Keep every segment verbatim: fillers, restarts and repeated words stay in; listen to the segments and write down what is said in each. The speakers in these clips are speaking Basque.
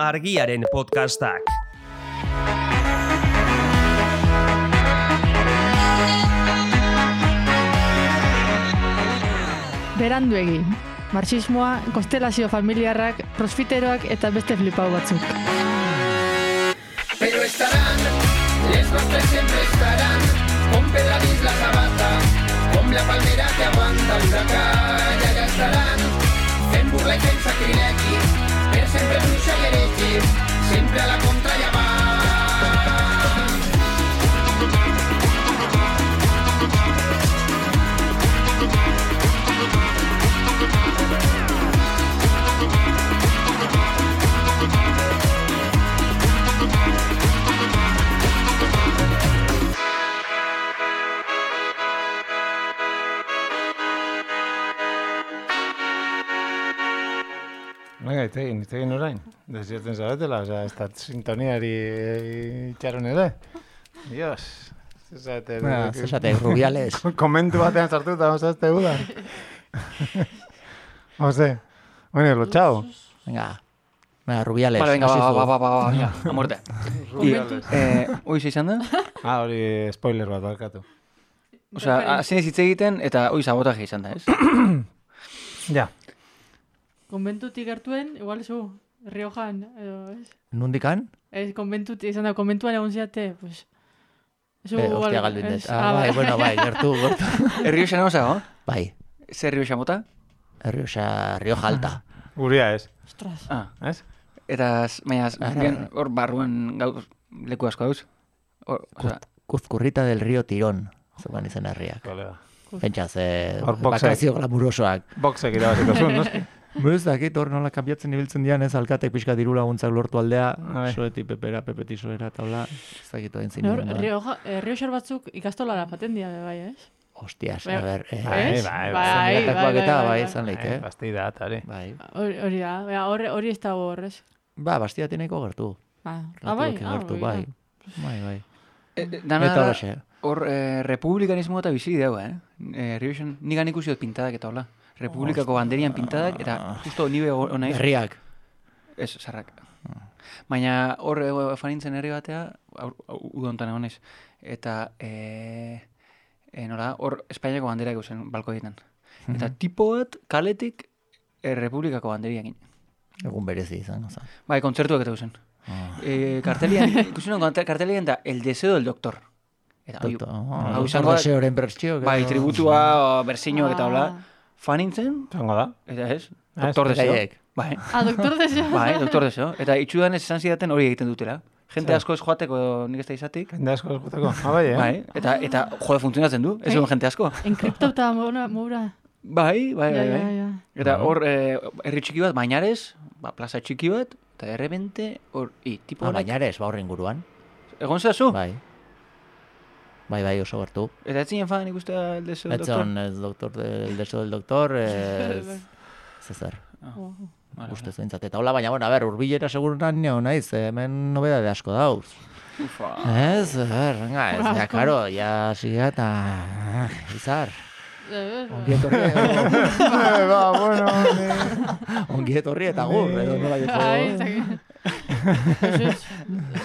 Argiaren podcastak. Beranduegi, marxismoa, konstelazio familiarrak, prosfiteroak eta beste flipau batzuk. Pero estarán, les nostres siempre estarán, con Pedradís la sabata, con la palmera que aguanta el huracán, allá estarán, fent burla i fent sacrilegi, per sempre bruixa i heretge, sempre a la contra ja van. Venga, itegin, itegin orain. Desierten zaretela, oza, ez da sintoniari itxaron ere. Dios. Zesate... Bueno, zesate, rubiales. Komentu batean sartu eta osazte guda. Ose. Bueno, lo chao. Venga. Venga, rubiales. Vale, venga, va, va, va, va, va, venga, a muerte. Rubiales. Eh, Oiz izan da? Ah, hori spoiler bat barkatu. Osa, hasi hitz egiten eta hoi sabotaje izan da, ez? Ja. Konbentutik gertuen, igual zu, Riojan, edo, ez? Nundikan? Ez, konbentutik, izan da, konbentuan egon ziate, pues... Zu, Eh, igual, hostia, galdu ez, indet. Ah, bai, bueno, bai, gertu, gertu. Errioxa nago zago? Bai, Zer Rioxa mota? Rioxa, Rioja alta. Guria ez. Ostras. Ah, Ez? eta, baina, Ah, bien, hor barruan gauz, leku asko dauz. Hor, oza, Kuzkurrita del río Tirón. Zuban izan herriak. Kolega. Pentsaz, eh, Hor boxek. bakazio glamurosoak. Boxek irabaziko zuen, noski? Ez dakit, hor nola kanbiatzen ibiltzen dian ez, alkatek pixka diru laguntzak lortu aldea, Bai. soeti pepera, pepeti soera, eta hola, ez dakit oen zin. Nor, Rioja, eh, Rioxar batzuk ikastolara paten dira, bai, ez? Hostias, Bai, a ber, eh, Bai, Ez? bai, bai, zenbatakoak bai, eta bai, bai, bai. izan leik, Eh, eh? Bastida, atari. Bai. Hori hori da, bai, hori hori ez dago horrez. Ba, bastia tieneko gertu. Ah, ah, bai, Relatiboki ah, gertu, hori da. bai. Bai, bai. eh, dana Eta da, horixe. hor eh, republikanismo eta bizi deu, eh? eh Rioxan, nigan ikusi dut pintadak eta hola. Republikako banderian pintadak, eta justo nibe hona iz. Herriak. Ez, zarrak. Baina hor eh, fanintzen herri batea, udontan egon naiz. Eta, eh, eh, nola, hor Espainiako bandera ikusen balkoietan. Eta tipo bat kaletik eh, Republikako banderiak egin. Egun berezi izan, oza. Bai, kontzertuak eta guzen. Ah. Eh, kartelian, ikusen kartelian da, el deseo del doctor. Eta, oi, Doktor, hau oh, izango da- deseoren bertxio. bai, tributua, bersiñoak eta hola, Ah. fanintzen, Zango da? eta ez, doktor Ez, deseo. beraiek. Bai, Ah, doktor deseo. bai, doktor deseo. Eta itxudan ez esan zidaten hori egiten dutela. Jente Zer? asko ez joateko nik ez da izatik. Jende asko eskuteko. Ah, bai, eh? Bai, eta, eta jode funtzionatzen du, ez egon jente asko. Enkriptauta mora, mora. Bai, bai, Ja, bai, ja, bai. ja. Eta hor, eh, herri txiki bat, Bainares, ba, plaza txiki bat, eta de repente, hor, i, tipo Ah, honek, bainares, ba horren guruan. egon zazu? Bai. Bai, bai, oso gertu. Eta ez zinen fan ikustea el deseo del doctor? Etzon, el doctor, el deseo del doctor, ez... Zezer. Oh. Vale, Ustez behintzat. Eta hola, baina, bueno, a ber, urbilera segurunan nio naiz, hemen nobedade asko dauz. Ufa. Ez, a ber, venga, ez, ja, karo, ja, siga eta... ah, Izar, ongi etorri, Eh, ba, bueno, eh. ongi etorri eta gur, edo nola Ai, joko... eta Pues ez,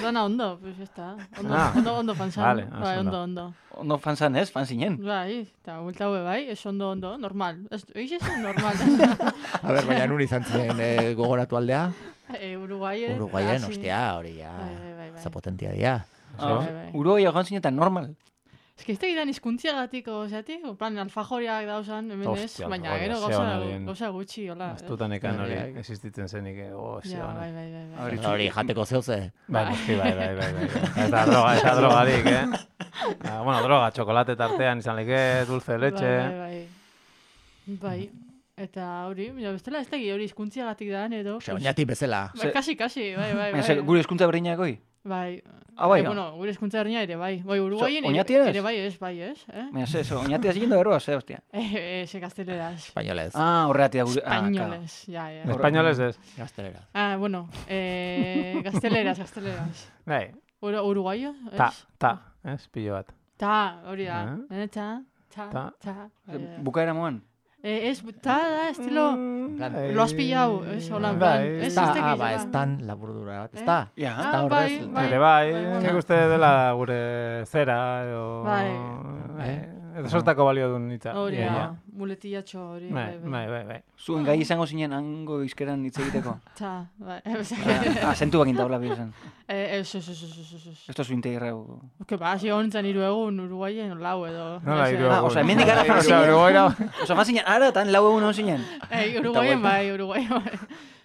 zona ondo, pues ya está. Ondo, Ah. ondo, ondo fanzan. Vale, Bai, oso ondo, ondo. ondo. Ondo fan zan ez, fan zinen. Bai, eta bulta hue bai, ez ondo, ondo, normal. Ez, eiz ez normal. A ber, baina nun izan zen eh, gogoratu aldea? e, Uruguayen. Uruguayen, hasi. ostia, hori ja, Bai, bai, bai, bai. zapotentia dia. Ah, bai, bai. Uruguai joan zinetan normal. Ez que ez da gidan izkuntziagatik, ozeatik, plan, alfajoriak dauzan, hemen ez, Hostia, baina alfajoriak, gero ze gauza, onarien. gauza gutxi, hola. Ez dutanekan hori Herriak. existitzen zenik, eh, oh, ze Ja, ona. bai, bai, bai, bai. Hori Hori jateko zeuze. Bai, noski, bai, bai, bai, bai. Eta droga, eta drogadik, eh? Ah, bueno, droga, txokolate tartean izan leke, dulce de leche. Bai, bai, bai. Bai. Eta hori, mira, bestela ez tegi hori izkuntziagatik da, edo. Ose, oinatik bezala. Bai, kasi, kasi, bai, bai, Baina, bai. ze, gure eskuntza berdinak hoi? Bai. Ah, bai, Eh, ah. bueno, gure eskuntza herria ere, bai. Bai, Uruguayen So, ere, oñati eres? ere bai ez, bai ez, eh? Baina, ze, so, oñati ez egin da berroa, ze, hostia. Eh, eh, ze gazteleraz. Espainolez. Ah, horregatik da gure... Ah, claro. Españoles, ja, ja. Espainolez ez. Gaztelera. Ah, bueno, eh, gazteleraz, gazteleraz. Bai, Ur Uruguayo, ez? ta, ta, ez, pilo bat. Ta, hori da. Ah. Eh, ta, ta, Ta. ta. Bai, bai. Bukaera moan. Eh, ez, ta da, estilo, plan, lo has pillado, ez, hola, en Bai, plan, ez, ez da, ez ah, tekiz, ba, ba. ez tan laburdura bat, ez da? Ja. Ez da Ah, horrez, bai, bai. Ere bai, bai. nik uste dela gure zera, edo... Bai. Eh, edo sortako balio duen hitza. Hori Ja, da, ja. muletillatxo hori, Bai, bai, bai. bai, bai, bai. Zuen gai izango zinen hango izkeran hitz egiteko. Ta, bai, Azentu bakin taula bizen. Eh, ez, ez, ez, ez, ez, ez. Esto zu integrau. Que ba, hasi hontzen hiru egun Uruguayen lau edo. Nola, ez, hiru eh. Ah, osea, hemendik gara Osea, zinen. Uruguaira... Osa, fan zinen, ara, tan lau egun hon zinen. Eh, Uruguayen bai, Uruguayen bai.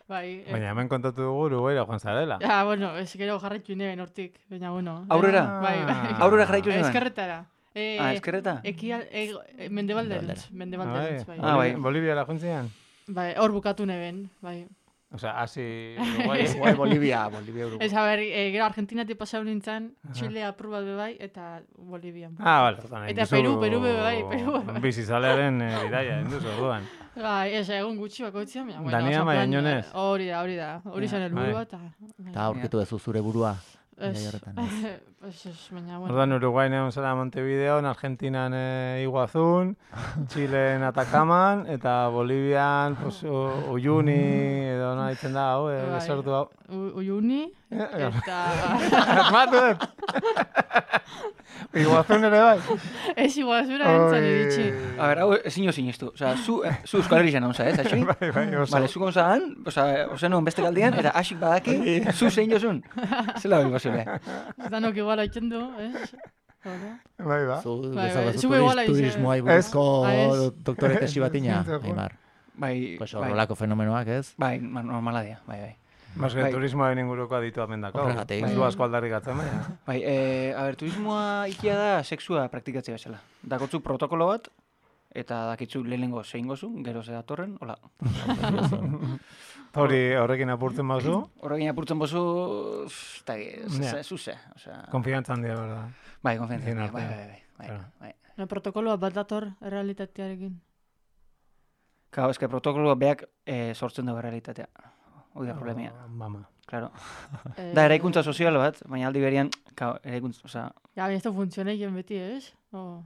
Bai. eh. Baina hemen kontatu dugu Uruguaira joan zarela. Ja, bueno, ez gero jarraitu nien hortik, baina bueno. Aurrera? Bai, bai. Aurrera jarraitu zuen. Eskerretara. Eh, Ah, eskerreta? Ekial, eh, mendebalderantz, mendebalderantz, bai. Ah, bai. Boliviara joan ziren? Bai, hor bukatu neben, bai. Osea, hasi Uruguai. Igual Bolivia, Bolivia, Uruguay. Ez, a ber, eh, gero Argentinatik pasau nintzen, Chile apur bat be bai, eta Bolivian. Ah, bale, orduan. Eta induzu Peru, Peru be bai, Peru be bai. Bizizalearen eh, bidaia, induzu orduan. Bai, ez, egun gutxi bakoitzean, baina, bueno, Dania oso plan, Maiañonez. eh, Hori da, hori da, hori zen helburua, eta... Eta aurkitu duzu zure burua. Ez, Gai horretan. ez, ez, baina, bueno. Orduan Uruguain egon zara Montevideon, Argentinan eh, Iguazun, Chilen Atakaman, eta Bolivian, pues, U- Uyuni, edo nola ditzen da, hau, eh, Bai. desortu hau. U- Uyuni, eta... Asmatu dut! Iguazun ere bai. Ez iguazura entzan iritsi. A ber, hau ezin jo sinistu. Osa, zu, eh, zu Euskal Herri janauza, ez, atxoi? Bai, bai, oso. Vale, zu gonzaan, osa, osa nuen beste galdian, eta asik badaki, zu zein jozun. Zela hori basile. Danok igual haitzen du, ez? Hola. Bai, ba. Zu Bai, bai, bezabazu zu igual aize. turismoa buruzko Ah, ez. doktore tesi batina, Aimar. Bai, Pues bai, horrelako fenomenoak, ez? bai, ma- normala dia, bai, bai. Mas que Bai. turismoaren inguruko aditu amendako. Horregatik. Ez du asko aldarrikatzen, baina. Bai, eh, a ber, turismoa ikia da sexua praktikatzea bezala. Dakotzu protokolo bat, eta dakitzu lehenengo zein gozu, gero ze datorren, hola. Hori horrekin apurtzen bazu, Horrekin apurtzen bozu, eta Ja. zuze, osea... konfiantza handia, berda. Bai, konfiantzia, Ezin bai, artean. bai, bai, bai, Claro. bai. No, protokoloa bat dator errealitatearekin. Claro, eske protokoloa beak eh, sortzen dugu realitatea. Hoi da problemia, Oh, mama. claro. Eh, Da, eraikuntza sozial bat, baina aldi berian, claro, eraikuntza, osea, Ja, baina ez da funtzioneien beti, ez? O...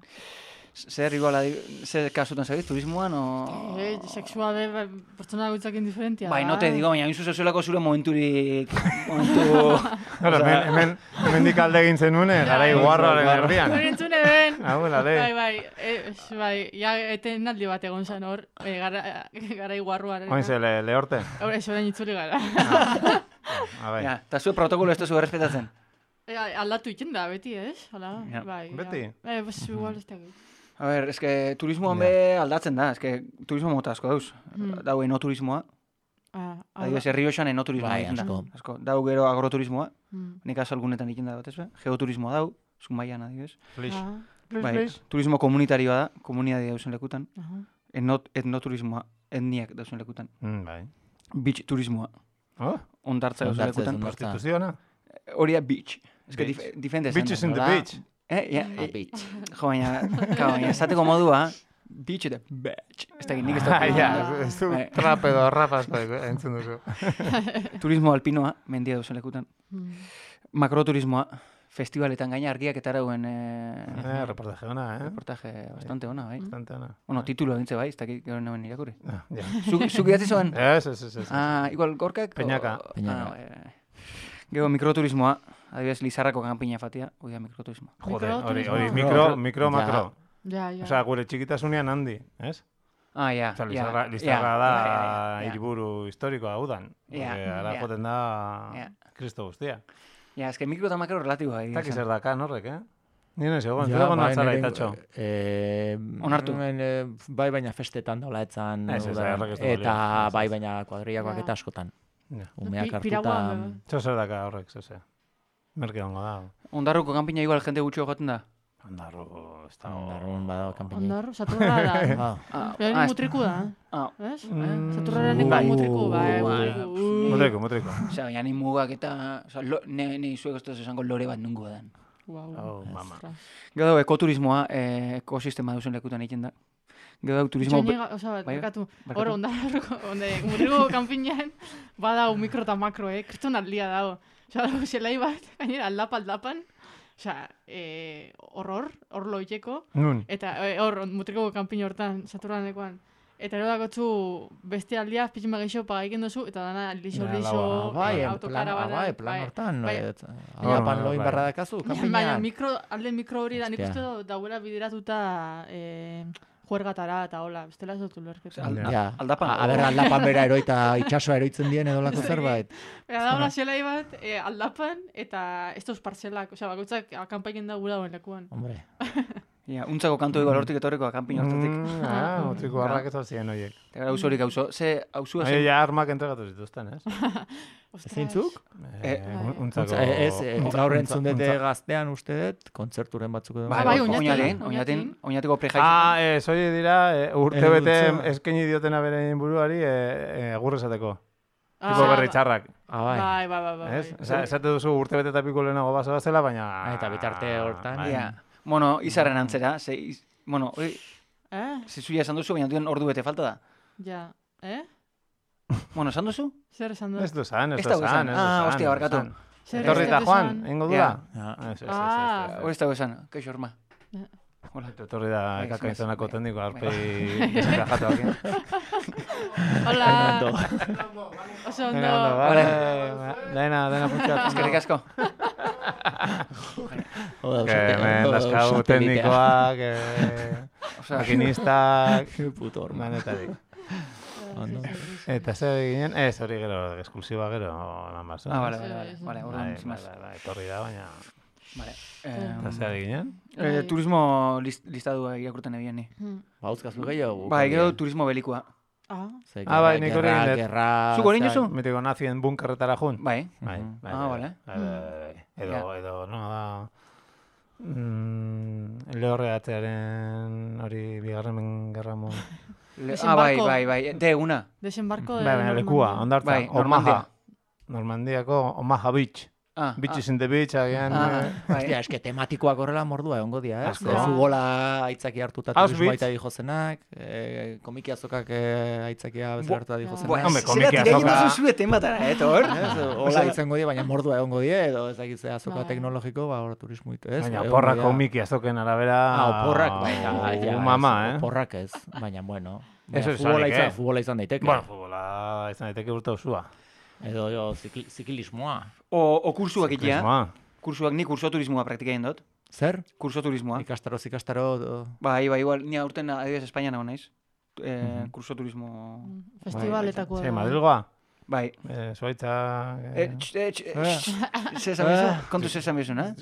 zer igual, adi- zer kasutan zabiz, turismoan, o... Eh, sexua be, ba, pertsona gutzakin diferentia. Bai, no te digo, baina hain zuzezuelako zure momenturik, momentu... Claro, hemen, hemen, hemendik alde egin zenuen, gara iguarroaren erdian. Hori entzune ben. Hau, la Bai, de. bai, ez, bai, ja, eten aldi bat egon zen hor, eh, gara, gara iguarruaren. Oin ze, le, lehorte. Hora, ez orain itzuli gara. A bai. Ja, eta zure protokolo ez duzu errespetatzen. Eh, aldatu iten da, beti, ez? Hala, Ja. bai. ja. Beti? Eh, bas, igual ez da. A ber, eske turismoan Ja. be aldatzen da, eske turismo mota asko dauz. Mm. Dau enoturismoa, Ah, adibidez, Errioxan enoturismoa Bai, egiten da. asko. Asko. Dau gero agroturismoa, Mm. nik azalgunetan egiten da bat ez be? Geoturismoa dau, Zumaian adibidez. Flix. Ah, Bai, turismo komunitarioa da, komunidade dauzen lekutan. aha. Etnot, etnoturismoa, etniak dauzen lekutan. Mm, bai. Beach turismoa, Oh, ondartza dauzen Hondartza lekutan. ez hondartza. prostituziona? Hori da beach. Ez que Beach. dif difende esan Bitches da. in the Nola? beach. Eh, ja, A eh, beach. jo, baina, claro, baina, esateko modua, beach eta beach. Ez da, nik ez Ah, da. ja, ez du Bai. trap edo rap asko entzun duzu. Turismo alpinoa, mendia dauzen lekutan. Mm. Makroturismoa, festivaletan gaina argiak eta arauen eh, Eh, reportaje ona, eh? reportaje bastante ona, bai. Bastante ona. Bueno, titulo egintze bai, ez dakit gero naben irakurri. Ah, ja. Zuk zuk idatzi zuen? Ez, ez, ez, ez. Ah, igual gorkak? Peñaka. o- Peñaka. Ah, bai, bai. Gero mikroturismoa, adibidez Lizarrako kanpina fatia, hoi da mikroturismoa. Jode, hori, Mikroturismo. hori, mikro, mikro, Ja. makro. Ja, ja. Osea, gure txikitasunean handi, ez? Ah, ja, Osea, ja, Lizarra, ja, Lizarra da ja, ja, ja. hiriburu historikoa udan. Ja, Porque ara ja. joten da Ja. Kristo guztia. Ja, eske mikro eta makro relatiboa. egia Eta esan. zer dakan horrek, eh? Ni nez egon, Ja, zure egon bai, natzara nire- itatxo. Eh, Onartu. hemen, eh, bai, baina festetan dola etzan. Ez, ez, udan. errek ez du Eta balio. Ez, bai, ez. baina kuadriakoak Ja. eta askotan. Ja. Umeak Pi- hartuta... piraguan, bai. Zer zer daka horrek, zeze. Merke hongo da. Ondarruko kanpina igual jende gutxo joaten da. Ondarro, ez da... Ondarrun badago kanpini. Ondar, saturra da. Ah, Ah, Behin ah, mutriku da, ah, ez? Mm. Saturraren Uh, bai. mutriku, bai, bai. mutriku. Uh. Mutriko, mutriko. Osea, baina ni mugak eta... Osea, lo, ne, ne zuek ez esango lore bat nungo dan. Wow. Oh, mama. Ostras. Gero dago ekoturismoa, eh, ekosistema duzen lekutan egiten da. Gero dago turismo... Itxoinega, osea, Bai, barkatu, barkatu. hor, ondarroko, onde, mutriku kanpinean, badau mikro eta makro, eh? Kriston aldia dago. Osea, dago zelai bat, gainera, aldapa aldapan, osea, eh, horror, hor loiteko, Nun. eta eh, hor, mutriko kanpine hortan, saturanekoan, Eta ero dakotzu beste aldia, pizima gehiago pagaiken duzu, eta dana lixo-lixo Bai, en plan, autokara bat. bai, plan hortan. bai. Alapan Bai. loin barra dakazu, Baina kanpinean. mikro, alde mikro hori da, nik Hostia. uste dut dauela bideratuta eh, juergatara eta hola, bestela ez dut ulerketa. Al- Ja, aldapan. a, a ber, aldapan bera eroita itxasoa eroitzen dien edo lako zerbait. Eta da hola zelai bat, eh, aldapan, eta ez dauz partzelak, osea, bakoitzak akampaiken da gura dauen lekuan. Hombre, Ja, untzako kantu ego lortik etorreko akanpin hortatik. Mm, ah, otziko harrak ez ziren horiek. Eta gara auzorik auzo. Ze auzua Ahi, zen. ja armak entregatu zituzten, ez? Ostras. zeintzuk? Eh, Eh, un- untzako... Eh, Ez, eh, untza- gaur untza- entzun dute untza- gaztean uste dut, kontzerturen batzuk edo. Bai, bai, bai, oñatin, oñatin, oñatin. oñatin, oñatiko prejaiz. Ah, ez, hori dira, eh, urte Eh, bete ultza. eskaini diotena bere buruari eh, eh, agur esateko. Ah, Tipo berri txarrak, Ah, bai. Bai, bai, bai, bai. ez? bai. Osa, esate duzu urte bete eta piko lehenago baso bazela, baina... Ah, eta bitarte hortan, Bai. Ja. Bueno, izarren antzera, ze, iz, bueno, hori, Eh? ze zuia esan duzu, baina duen ordu bete falta da. Ja. Eh? Bueno, esan duzu? Zer esan du? Ez du zan, ez Ez du dago zan, esan. ez du Ah, zan, hostia, ez du barkatu. zan. Zer Etorri ez eta dut Juan, esan? egingo Ja. dula? Ja. Ez, ez, ez, Ah. ez, ez. Hori ez dago esan, kaixo horma. Hola. Etorri da Bai, ekakaizanako bai. tekniko arpei desenkajatuak. Hola. Oso ondo. Vale, dena, dena funtzionatu. Eskerrik asko. Oda, Que hemen dauzkagu teknikoak, eh, Osea, makinistak, Puto horma. manetarik. Ondo. Eta zer ginen? Ez, hori gero, esklusiba gero, eman bazo. Ah, vale, Sí, vale, vale. sí. Vale, Bai, orduan, bai, sin más. bai, bai, etorri da, baina... Vale. Eta Eh, zer ginen? eh, turismo list, listadua irakurten ebian ni. Hmm. Bauzkazu gehiago. Bai, gero turismo belikua. Ah. Ze, Ah, bai, gerra- nik hori gerra- egin dut. gerra- Zuk hori zea- duzu? Mitiko nazien bunkerretara jun. Bai. Bai, Mhm. bai, Ah, bai, vale. bai, bai, bai, bai. Edo, Ja. edo, no, da... Mm, lehorreatzearen hori bigarren gerra mo... Le, ah, bai, Desembarko. bai, bai. De una. Desembarco de Bai, baina lekua, Normandia. ondartza, Bai, Omaha. Normandia. Normandiako Omaha Beach. Ah, Beach ah, is in the beach, agian... ah, eh, bai. Hostia, eske tematikoak horrela mordua egongo dira, ez? Asko. Eh, Futbola aitzaki hartuta Auschwitz. turismo aita dijozenak, eh, komiki azokak eh, aitzakia bezala hartuta dijozenak. Buah, Hombre, zera komiki tira egin azoka. duzu zue tematara, eh, tor? Ez, hola izango die, baina mordua egongo die, edo ez dakit ze azoka Bai. teknologiko, ba, hor turismo itu, ez? Baina Egongo porrak dira. komiki azoken arabera... Ah, oporrak, bai, ja, ja, Uh, mama, ez, eh? Oporrak ez, baina bueno. Ez Baina ez futbola esanik, izan, eh? futbola izan daiteke. Bueno, futbola izan daiteke urte osua. Edo jo, zikli, zikilismoa. O, o kursuak ikia. Turismoa. Kursuak, ni kurso turismoa praktikain dut. Zer? Kurso turismoa. Ikastaro, ikastaro... do- Bai, bai, igual, ni aurten adibidez Espainian nago naiz. Eh, Mhm. kurso turismo... Festivaletako. Ze, Madrilgoa? Bai. Eh, Zuaitza... Eh, tx, eh, tx, eh, Eh. tx, ze esan bezu? Kontu ze esan bezu, ne?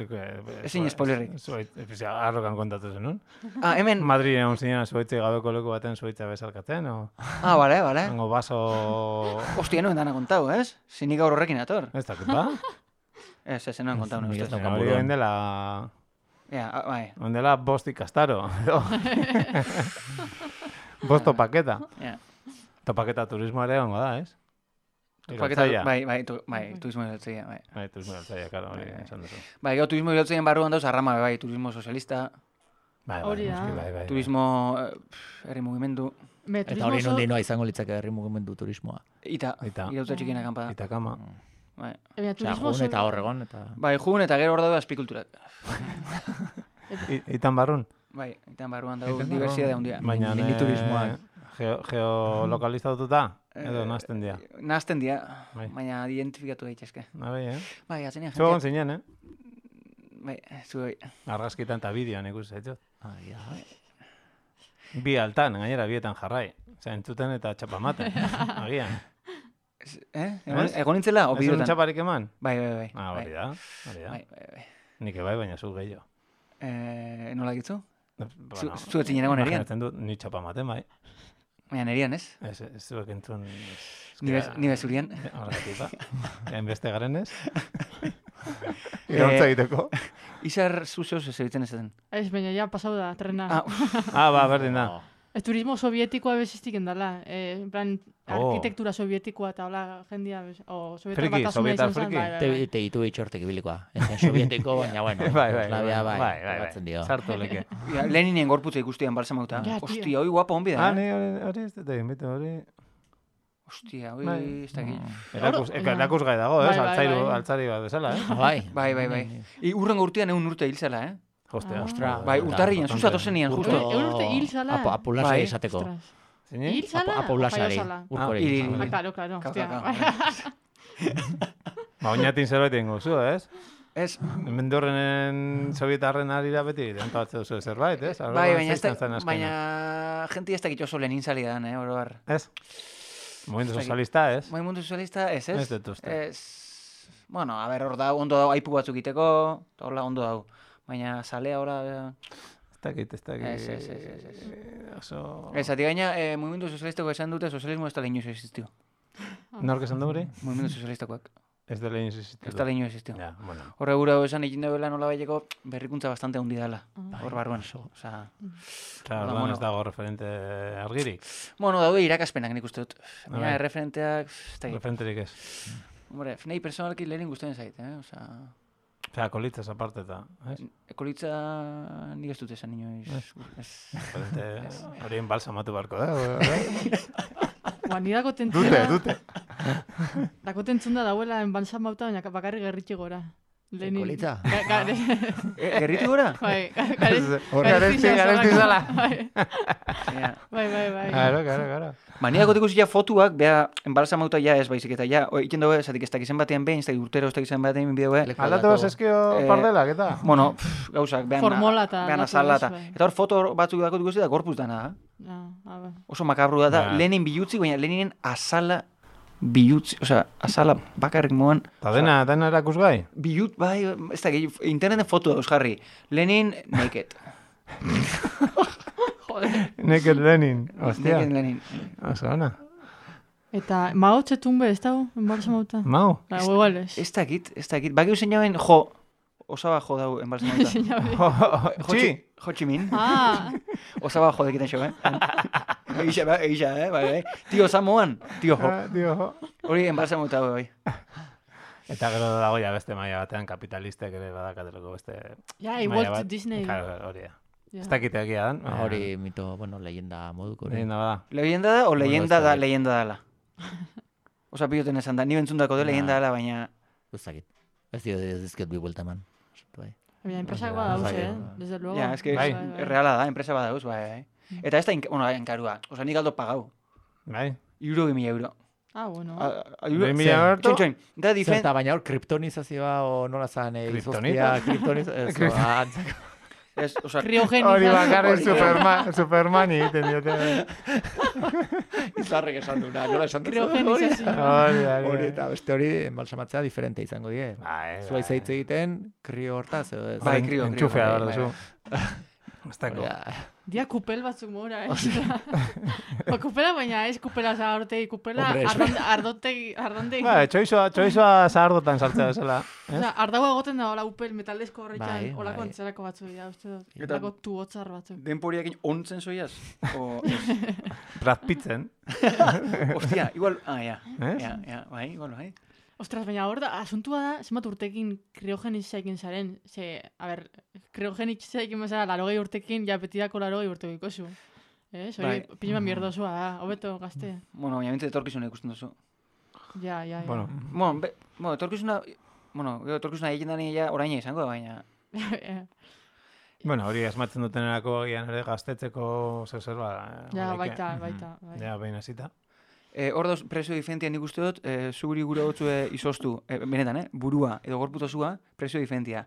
Ezin spoilerrik. Zuaitza, arrokan kontatu zenun. Ah, hemen... Madrid egon zinean zuaitzei gabeko leku baten zuaitza bezalkatzen, o... Ah, bale, bale. Hango baso... Hostia, noen dana kontau, ez? Zinik gaur horrekin ator. Ez dakit, ba? Ez, ez, noen kontau, Nik ez ustez. daukat Hori buruan. oin dela... Ja, ah, bai. Oin dela bost ikastaro. Bost topaketa. Ja. Topaketa turismo ere ongo da, ez? Paketa, Iraultzailea. bai, bai, tu, bai, turismo iraultzailea, bai. Bai, turismo iraultzailea, karo, hori Bai, bai. esan duzu. Bai, gero turismo iraultzaileen barruan dauz arrama, bai, turismo sozialista, Bai, bai, Hori da. noski, bai, bai, bai. turismo, eh, pff, herri mugimendu, Me, Eta turismo hori oso- nondi noa izango litzake herri mugimendu turismoa. ita, Ita. iraultza txikien akampada. Eta kama. Bai. Baina Osea, turismo jun oso- eta horregon, eta... Bai, jun eta gero hor daude azpikulturak. I- Itan barrun. Bai, eta barruan dago Itan diversitate barruan. handia. Baina mini turismoak. Geo, geolokalizatuta, edo Eh, nazten dira. Nahazten dira, Bai. baina identifikatu daitezke. Nabe, eh? Bai, atzenean Zu egon jendeak... zinen, eh? Bai, zu bai. Argazkitan eta bideoan ikusi zaitut. Ah, ja. Bi altan, gainera bietan jarrai. Osea, entzuten eta txapamaten. Agian. Eh? Egon, Ez? egon nintzela, o Ez un bideotan? txaparik eman? Bai, bai, bai. Ah, bai. hori da, hori da. Bai, bai, bai. Nik ebai, baina zu gehiago. Eh, nola gitzu? Bueno, zu ez zinen egon erian? imaginatzen dut, ni txapamaten, bai. Baina nerian, ez? Ez, ez zuek entzun... Ni bez, ni bezurian. Horregatik, ba. Enbeste garen ez. Iraultza egiteko. Izar zu zehoz ez ebitzen ez den. Ez, baina ja pasau da, trena. Ah, Ah, ba, berdin da. Oh. Ez turismo sovietikoa beziztik endala. Eh, en plan, Oh. arkitektura sovietikoa eta hola jendia, bez- o sovietar Friki, batasuna sovietar izan zen, friki. bai, bai, Te, bai. te ditu itxortek ibilikoa. Ez zen sovietiko, baina bueno. Bai, bai, bai, Jugoslavia, bai, bai, bai, tokatzen dio. Sartu leke. ja, Leninen gorputza ikustean balsamauta. Ja, tio. Hostia, hoi guapa honbi da. Ah, eh? ni hori, hori ez dut egin, bitu, hori... Hostia, hoi Bai. ez dakit. Erakus, Oro- eka- erakusgai dago, ez? Bai, bai, Altzairu, bai. altzari bat bezala, eh? Ah, bai. Bai, bai, bai. I urrengo urtean egun urte hil zela, eh? Hostia, Ah. ostra. Bai, urtarrian, Bastante. zuzatu zenian, justo. Egun urte hil zala. Apo, apulazia Bai. izateko. Ostras. Zini? Hil zala? Apaulasari. Jaio zala? Urkori. Hiri. Ah, claro, claro. Kau, Hostia. kau, kau. Ba, oinatin zerbait ingo zu, ez? Ez, Mendorrenen sovietarren arira beti, dentatze duzu zerbait, ez? Arlo bai, bat baina ez da, zeizten zen azkena. baina jenti ez dakit oso lenin zalidan, eh, oro har. Ez? Momentu Ez dakit. sozialista, ez? Movimendu sozialista, ez, ez? Ez dut uste. Ez, bueno, a ber, hor da, ondo dago, aipu batzuk iteko, eta horla ondo dago. Baina zalea ora... Ez dakit, ez dakit. Ez, ez, ez, ez, ez. Oso... Ez, ati gaina, eh, movimendu sozialistako esan dute, sozialismo ez da lehin existio. Nork esan du hori? Movimendu sozialistakoak. Ez dela insistitu. Ez da lehin existio. Ja, bueno. Horre gura esan egin duela nola baileko berrikuntza bastante handi dela. Hor barruan. Osea, Claro, Ba, orduan bueno. ez dago referente argirik. bueno, daude irakaspenak nik uste dut. Bai. Baina erreferenteak, ez da Referenterik ez. Hombre, nahi personalki lehenin guztien zait, eh? Osea, Osea, kolitzaz aparte eta, ez? ekolitza nik ez dut esan inoiz. Ez. Referente horien balsamatu barko da. bai? Ba, ni dako tentzuna... Dute, dute. Dako tentzuna dauela enbalsan bauta, baina bakarrik gerritxe gora. Lenin. Kolitza? Ga- ga- E, gerritu gora? Bai, ga- garez- Garesti, garesti garesti zazalako. zala. Bai, Ja. bai, bai, bai. Claro, claro, claro. Ba, niak gotik ja fotuak, beha, enbalsamauta ja ez baizik eta ja, o, iken dugu, zatik ez dakizen batean behin, ez dakik urtero ez dakizen batean bideo, Leku Aldatu aldatu. zeskio Eh, pardelak, eta? bueno, pff, gauzak, behan, Formola eta behan aldatu azala, ez, eta, bai. eta hor foto batzuk dako dugu da gorpuz dana, eh? Ah, ah, bai. Oso makabru da, da Ba. Lenin bilutzi, baina Leninen azala bilutzi, osea, azala bakarrik moan, Eta dena, dena erakusgai? bilut, bai, ez da, interneten foto dauz jarri, Lenin naked. Joder. Naked Lenin, ostia. Naked Lenin. Oso ona. Eta Mao Tse-tung be, ez dago? Enbalsan bauta? Mau? Ba, igual ez. Ez dakit, ez dakit, bakiu zein jauen, jo, osaba jo dau enbalsamauta. Señor. Txi! Ho Chi Minh. Ah, Osaba jo dekiten xo, eh? Egixa, ba, egixa, eh? Bai, bai. Tio Samoan, tio jo. Ah, Dio, jo. Hori enbalsamauta bai. Eta gero dago ja beste maila batean kapitalistek ere badakatelako beste ja, maila igual bat. Disney. Claro, hori da. Ja. Ez dakite egia dan. Ah, Hori mito, bueno, leyenda moduko. hori. Leyenda bada. Leyenda da o leyenda ez da, dakit. leyenda dala. Osa piloten esan da, ni bentzundako de leyenda dala, baina... Ez dakit. Ez dio ez dizket bi buelta eman. Bai. Baina enpresak Bai, badauz, bai, eh? bai. Desde luego. Ja, es que Bai. es reala da, enpresa badauz, bai, bai. Eta ez da, ink- bueno, enkarua, osa nik aldo pagau. Bai. Iuro bi mila euro. Ah, bueno. A- a- euro- Bi mila Zer, berto? txoin, txoin. Da difen... Zerta, baina hor kriptonizazioa o nola zan eh, Kriptonita? izoztia, kriptonizazioa, ez, o, antzako. Ez, osa, Kriogeniza. Hori bakarrik Hori, Superman, Supermani egiten diote. Izarrek esan duna, nola esan duzu? Kriogenizazioa. Hori, hori. Hori eta beste hori enbalsamatzea diferente izango die. Bai, Zua izaitz egiten, krio hortaz, edo ez. Bai, krio, krio, Entxufea bai, behar bai, duzu. Ez dako. Hori da. Dia kupel batzuk mora, eh? Ba, kupela, baina ez kupela zahartegi, kupela Hombre, ez- ardon- ardotegi, ardondegi. Ba, txoizoa, txoizoa zahardotan sartzea bezala. Osea, ardago egoten da hola upel metaldezko horretxan, Bai, holako bai. antzerako batzuk dira, uste dut. Eta- Holako tuotzar batzuk. denporiakin ontzen zoiaz? O, ez? Brad Pitzen. Ostia, igual, ah, ja. Ez? Ja, ja, bai, igual, bai. Ostras, baina hor da, asuntua da, zenbat urtekin kriogenizaekin zaren. Ze, a ber, kriogenizaekin bezala, larogei urtekin, ja betidako larogei urteko ikozu. Eh, hori Bai. pixima mierdosua da, hobeto gazte. Bueno, baina bintzat etorkizuna ikusten duzu. Ja, ja, ja. Bueno, Bueno, be, bueno, etorkizuna, bueno, gero etorkizuna egiten dani ja oraina izango da, baina... bueno, hori asmatzen dutenerako gian ere gaztetzeko zer zer ba. ja, horiek, baita, eh, baita. Bai. Ja, behin hasita. Eh, hor dauz prezio diferentia nik uste dut, eh, zuguri gure gotzue izoztu, eh, benetan, eh? Burua edo gorputozua, prezio diferentia.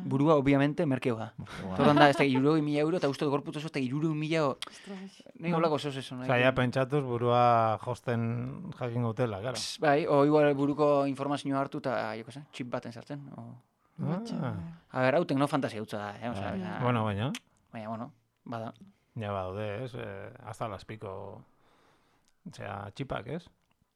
Burua, obviamente, merkeo da. Torran da, ez da, iruro mila euro, eta uste dut gorputozua, ez da, iruro mila... Ostras. Nik holako zos esan. Osa, ja pentsatuz burua josten jakin gautela, claro. Bai, o igual buruko informazioa hartu eta, joko zen, txip baten sartzen. O... Ah, A ber, hau teknofantasia hutza da, eh? Osea, ja, bueno, baina, baina, bueno, bada. ja badaude, ez? Eh, hasta las pico, osea, txipak, ez?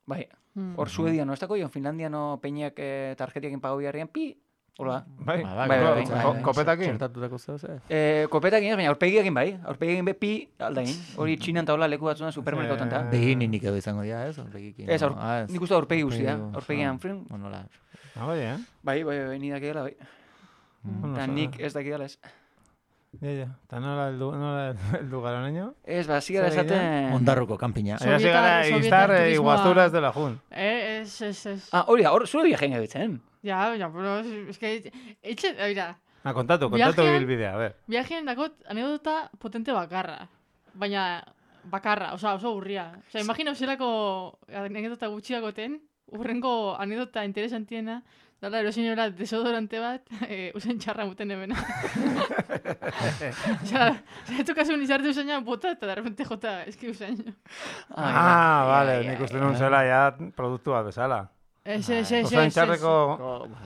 Bai, Mm. hor Suedia no, ez dako, Finlandia no peñak eh, tarjetiakin pagau biharrian, pi, hola. Bai, Ba, Bai, bai, bai, ko- bai. kopetakin. Txertatutako zehoz, eh? Eh, kopetakin ez, baina aurpegiakin bai, aurpegiakin be pi aldain. Hori txinan taula leku batzuan supermerkautan ta. Eh, Begininik edo izango dira, ez? Horregikin. Ez, aur, Ah, nik uste aurpegi guztia, Aurpegi, aurpegian ah, frin. Bueno, la... Ah, bai, eh? Bai, bai, bai, ni dakidala, bai. Bueno, Eta oso- nik ez dakidala ez. Ja, ja. Eta nola heldu, nola heldu gara naino? Ez, ba, zigara Zer egin, esaten... Ondarruko kanpina. Sobietar- Era se gara sobietar iztar turismoa. iguaztura ez dela jun. Eh, ez, ez, ez. Ah, hori da, hor, zure viajein gabetzen. Ja, ja, pero es, es que... Etxe, mira, Ah, kontatu, kontatu Viajean- bilbidea, a ver. viajeen dakot anekdota potente bakarra. Baina, bakarra, oza, oso urria. Osa, imagina zelako anekdota gutxiagoten, urrengo anekdota interesantiena, dala erosinera desodorante bat, e, usain txarra muten ebena. Osa, zaitu kasun izarte usaina bota eta darrepente jota, eski usain. Ah, vale, nik uste nun zela ja produktua bezala. Ez, ez, ez, ez. Usain txarreko...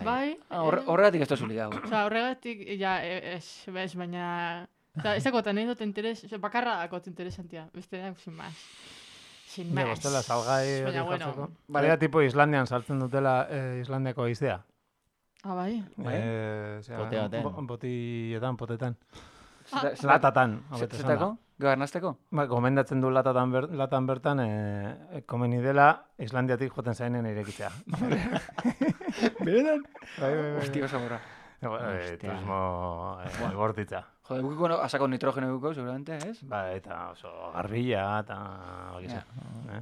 Bai. Horregatik ez da zuli gau. Osa, horregatik, ja, ez, bez, baina... Ez dakot anekdota interes, bakarra dakot interesantia, beste da, sin más. Sin más. Bostela, salgai hori bueno. jartzeko. Baina tipo Islandian saltzen dutela eh, Islandiako iztea. Ah, bai? Eh, zera, Bote baten. bo- Botietan, potetan. Ah. Latatan. hobeto esanda. Zetako? Garnazteko? Ba, gomendatzen du latatan, ber, latan bertan, eh, komeni dela Islandiatik joten zainen irekitzea. Beretan? Bai, bai, bai. Hostia, oso morra. Eh, turismo eh, bortitza. Jode, bukiko no, asako nitrogeno bukiko, seguramente, ez? Ba, eta oso garbila, eta... Bakiza. Eh?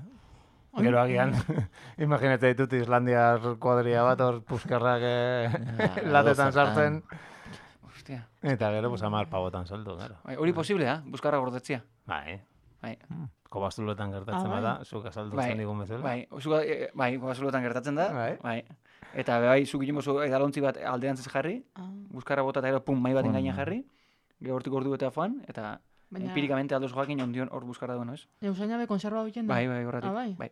Gero agian, imaginatzen ditut Islandiar kuadria bat, hor puskerrak eh, latetan sartzen. Hostia. Eta gero, pues, amar pavotan saldu, gero. Bai, hori posible, da? Buskarra gordetzia. Bai, Bai. kobazulotan gertatzen Ah, bai. bada, zuk azaldu Bai, zen digun bezala. Bai, zuka, e, bai, gobazulotan gertatzen da. Bai. Bai. Eta bai, zuk egin bozu edalontzi bat alderantzez jarri, Ah, buskarra bota eta gero pum, mai baten Pum. gainean jarri, gero hortik ordu eta joan, eta baina... empirikamente aldoz joakin ondion hor buskarra duen, ez? Ja, usaina be konserva bilen da? Bai, bai, horretik. Ah, bai? Bai.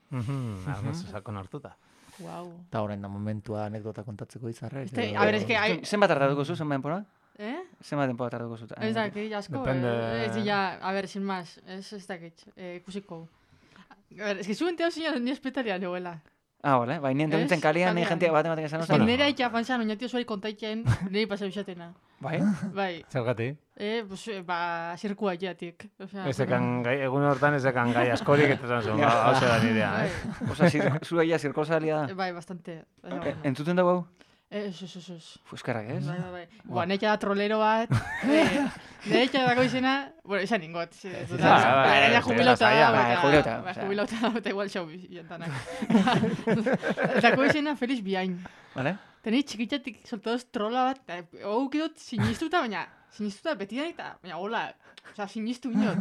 Mhm, arnaz sakon hartuta. Wow. Eta horren da momentua anekdota kontatzeko izarrek. Este, edo- a ver, es que... Hay... Zenbat tardatuko zu, zenbat denpora? Eh? Zenbat denpora tardatuko zu? Ez dakit, asko. Depende. Eh, ez ya, a ver, sin más. Ez ez dakit, eh, ikusiko. A ver, es que zuen teo zinan ni espetaria negoela. Ah, vale, bai, nien teuntzen Ez, kalian, ni kalean. jentea bat ematen esan Ez que osan. nera itxa panzan, oinatio zuari kontaitzen, niri pasau izatena. Bai? Bai, Zergatik? eh, pues, eh, ba, zirkua jatik. O sea, Ezekan gai, egun hortan ezekan gai askorik, eta esan zuen, hau da nirea, bai, eh? Osa, zu gaia zirkosalia da. bai, bastante. Baina, E- bueno. Entzuten dugu hau? Eh, Ez, ez, ez, ez. Fuskarrak, ez? Bai, bai, bai. Boa, neitxa da trolero bat. eh, Neitxa dako izena, bueno, izan ingot. Sí, bai, bai, Gaina bai, jubilauta lasaiak, da. bai, eta- jubilauta, bai, osea. Jubilauta da, eta igual xau jantanak. Dako izena Feliz Biain. Vale? Teni txikitzatik soltadoz trola bat, eta hau kidot sinistuta, baina sinistuta betidan eta, baina hola, oza, sinistu inot.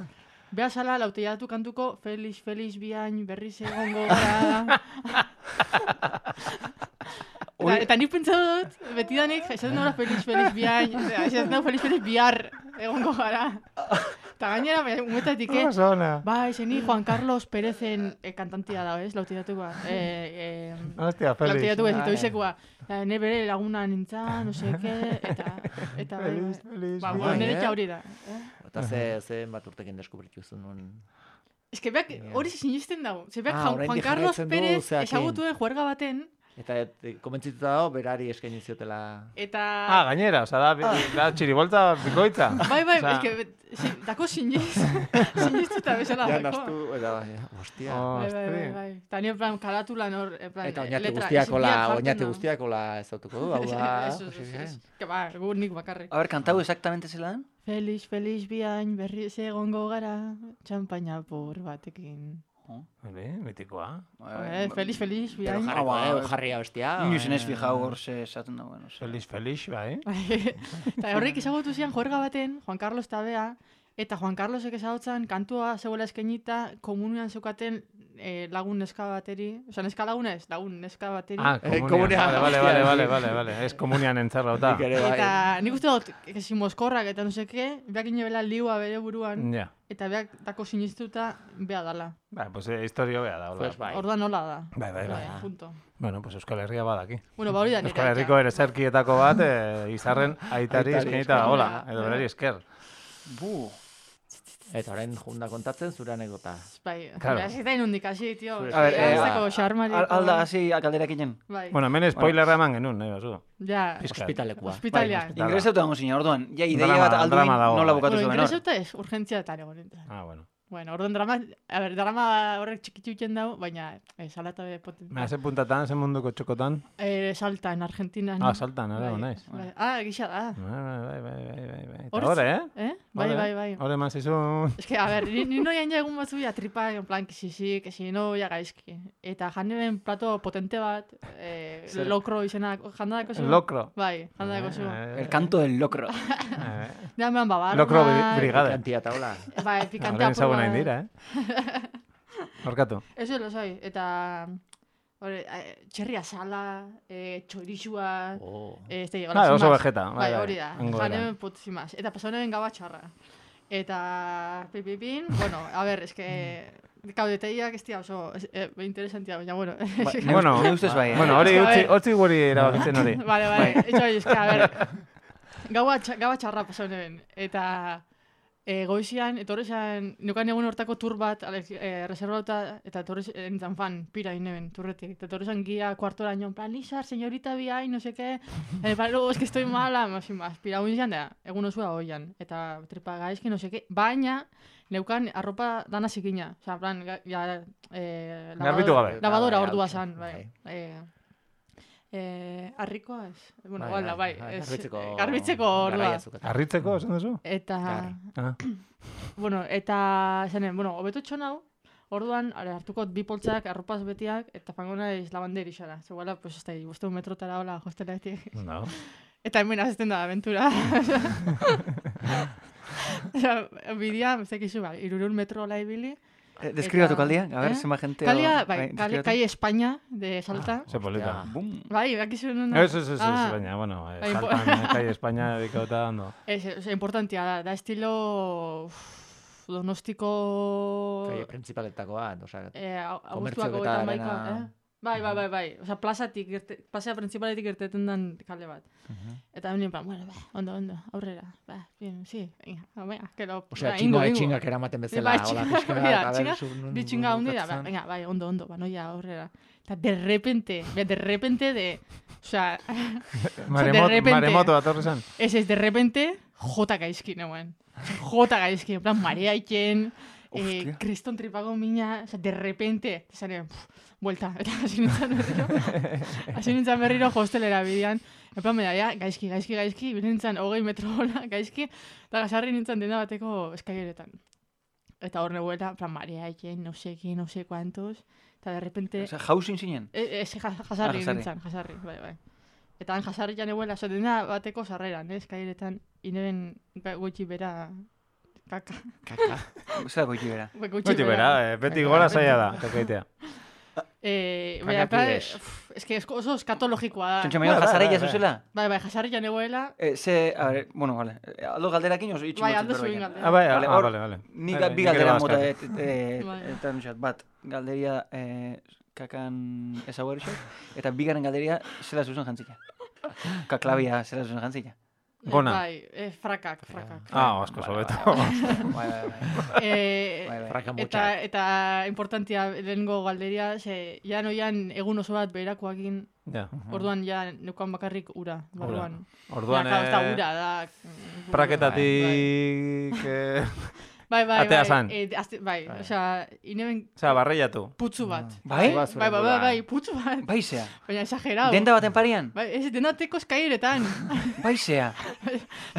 Beha sala, lauteiatu kantuko, Feliz, Feliz Biain, berriz egongo gara. Eta, eta nik pentsatu dut, betidanik, esaten dut Feliz, Feliz Biain, eta esaten dut Feliz, Feliz Bihar egongo gara. Eta gainera, baina, umetatik, eh? Oso ona. Bai, zeni Juan Carlos Perezen eh, kantantia da, ez? Lauteiatukoa. Eh, eh, Hostia, Felix. Lauteiatu ez, Bai. itoizekoa. Eh, ne bere laguna nintzen, no seke, eta... eta bai, Feliz, bai. feliz, Ba, bai, bueno, nire eh? txa hori da. Eh? Eta ze, ze bat urtekin deskubritu zuen. Ez que beak hori sinisten dago. Ze beak Ah, Juan, oraindik Juan Carlos jarraitzen du Pérez zeakin. ezagutuen juerga baten, Eta et, komentzituta dago, berari eskaini ziotela... eta... Ah, gainera, oza, da, bi- da txiribolta bikoitza. Bai, bai, Osea, ez que, bet- si, dako siniz, sinistuta bezala Ja, dako. nastu, eta bai, hostia. Oh, Bai, bai, bai, ostri. bai. Eta ni en plan, karatulan hor, en plan, Eta oinate letra, guztiakola, ez, biak jartzen oinate da. guztiakola ez dautuko du, hau da... Eso, eso, eso, eso. Que ba, gu nik bakarrik. A ber, kantau exactamente zelan? Feliz, feliz biain, berriz egongo gara, txampaina por batekin. Hori, mitikoa. Eh, feliz, feliz Pero biain. jarriko, Ah, eh, ba, jarria bestia. Inoiz enez fijau hor ze esaten dagoen. oso. Feliz, feliz, bai. Eta horrek ezagutu zian juerga baten, Juan Carlos Tabea, eta Juan Carlosek ezagutzen kantua zeuela eskenita komunian zeukaten eh, lagun neska bateri, oza, neska laguna ez, lagun neska bateri. Ah, Eh, komunian. komunian, Vale, vale, hostia, vale, sí. vale, vale, vale. Ez komunian entzerrauta. Nik ere, bai. Eta nik uste dut, esi moskorrak eta no seke, beak inebela liua bere buruan, Ja. eta beak dako sinistuta bea dala. Bai, pues eh, historio bea da, hola. Pues bai. Orduan nola da. Bai, bai, bai. Punto. Bueno, pues Euskal Herria badaki. Bueno, ba hori da nire. Euskal Herriko ere zerkietako bat, eh, izarren aitari Aitari eskenita esker. hola, edo berari esker. Bu. Eta orain junda kontatzen zure anekdota. Bai, Claro. claro. Hasi da inundik, hasi, tio. Zure A ber, eh, Zeko xarmariko. Al- Alda, hasi galderakinen. Bai, Bueno, hemen spoilerra eman genuen, nahi bazu. ja. Pizkat. Hospitalekua. Hospitalia. Bai, Ingresatu dago zina, orduan. Ja, ideia Drama- bat alduin drama dago. nola bukatu Bueno, zuen hor. ingresauta ez, urgentzia eta egon. Ah, bueno. Bueno, orduan drama, a ber, drama horrek txikitzu iten dago, baina eh, salata be potente. Me hace puntatan, ese munduko txokotan. Eh, salta, en Argentina. Ah, saltan, ere, Bai, naiz. bai. Ah, gisa da. Bai, bai, bai, bai, bai, bai. Eta Hortz- hor, eh? Eh? Bai, bai, bai. Hore eman zizun. Es que, a ver, ni, ni noian ja egun batzu ja tripa, en plan, que si si, que si no, ja gaizki. Eta jandeben plato potente bat, eh, lokro izena, jandadako zu? Lokro. Bai, jandadako zu. El canto del locro. Ja, mehan babarra. Lokro brigade. Pikantia taula. Bai, pikantea Horren proba. zagun hain dira, eh? Horkatu. Eso lo soy. Eta... Hore, txerria sala, eh, txorixua... Oh. Eh, este, Ah, oso vegeta. Bai, hori da. Janen putzimaz. Eta pasanen gaba txarra. Eta... Pipipin, bueno, a ver, es que... Kaudeteiak ez dira oso eh, interesantia, baina, bueno. Bueno, ne ustez bai, eh? bueno, hori utzi, utzi guri erabakitzen hori. Vale, vale, etxo hori, eska, a ver, gaua, gaua txarra pasanen, eta e, goizian, etorri zen, nukan egun hortako tur bat, e, reservauta, eta etorri zen fan, pira ineben, turretik, eta etorri zen guia kuartoraino, en plan, Lizar, señorita biai, no sé qué, en plan, luego, es que estoy mala, más y más, pira guin da, egun osua hoian, eta tripa gaizki, no sé qué, baina, neukan arropa dana zikina, oza, en plan, ja, eh, Garbitu gabe. Lavadora ordua zan, bai. Eh, eh, arrikoa ez? Bueno, bai, bai, bai, bai, garbitzeko, garbitzeko ordua. Arritzeko, esan duzu? Eta, ah. bueno, eta, zanen, bueno, hobeto txonau, orduan, are, hartuko bi poltsak, arropaz betiak, eta fango naiz labanderi xara. Zegoela, pues, ez da, boste un metrotara hola, hostelatik. No. Eta hemen azten da, aventura. Bidea, ez dakizu, ba, irurun metro hola ibili. Eh, deskribatu kaldia, a ver, eh? zema gente... Kalia, bai, kalia, calle España, de Salta. Ah, ze polita. Bum. Bai, bakizu nun... Ez, ez, ez, Ah. baina, bueno, eh, Bai, Saltan, calle España, dedikauta, ondo. Ez, ez, importantia da, da estilo... Uf, donostiko... Calle principaletakoa, osea, Eh, komertzio Augustuako eta eta maika, dena- eh? Bai, bai, bai, bai. Osa, plazatik, irte, plazea principaletik irteten den kale bat. Eta hemen, plan, bueno, ba, ondo, ondo, aurrera. Ba, bien, sí, venga, venga, que lo... osea, ba, txinga, ingo, ingo. txingak eramaten bezala, Bai, hola, txinga, pixka, mira, a ver, txinga, zu- nun- bi txinga nun hundi da, ba, bukatzen. venga, bai, ondo, ondo, ba, noia aurrera. Eta de repente, be, de repente de... Osea, Maremot, repente- maremoto atorri zen. ez ez, de repente, jota gaizki, neuen. Jota gaizki, en plan, marea iken, eh, Hostia. kriston tripago mina, osea, de repente, zane, vuelta, eta hasi nintzen berriro, hasi nintzen berriro hostelera bidean, en plan, bera, ja, gaizki, gaizki, gaizki, nintzen hogei metro hola, gaizki, eta gasarri nintzen denda bateko eskaileretan. Eta hor nebuela, en plan, marea iken, no sé qué, no sé cuántos, eta de repente... Osea, jausin zinen? E, ez, jasarri Ah, jasarri. nintzen, jasarri, bai, bai. Eta han jasarri jan eguela, so, dena bateko sarreran, eh, eskaileretan, ineben goitxi bera, kaka. Kaka. Zer goiti bera. Goitxi Goiti bera, eh, beti gola zaila da, tokaitea. Eh, Kaka baina, plan, kides. uf, es que esko- oso eskatologikoa da. Txontxa maio Bai, bai, jasarei bai, jazuzela? Bai, bai, jasarri jan eguela, Eh, ze, a ver, bueno, vale. Eh, Aldo galderakin oso itxi bai, motzut aldo berbaian. zuen galdera. Ah, bai, Vale, ah, hor, vale, vale. Ni, Bai, ga- bai, bi nik ere galdera bazkatu. mota, et, et, Bai. eta nusat, bat, galderia eh, kakan ezaguer eta bigarren galderia zela zuzen jantzika. Kaklabia zela zuzen jantzika. Gona. Bai, eh, frakak, frakak. Ah, asko sobeto. Bai, bai, bai. Eh, Bai, bai. Fraka eta, motxak. eta importantia lehengo galderia, ze, jan oian egun oso bat beherakoakin, Ja. orduan ja neukan bakarrik ura, orduan. Orduan, Ja, ez da eh, ura, da... praketatik... eh, Bai, bai, Atea bai. zan. Eh, azte, bai, osea, ineben Osea, barreiatu. putzu bat. Bai? Bai, bai, bai, bai, putzu bat. Baizea. Baina exagerado. Denda baten parian? Bai, ez denateko eskaileretan. Baizea.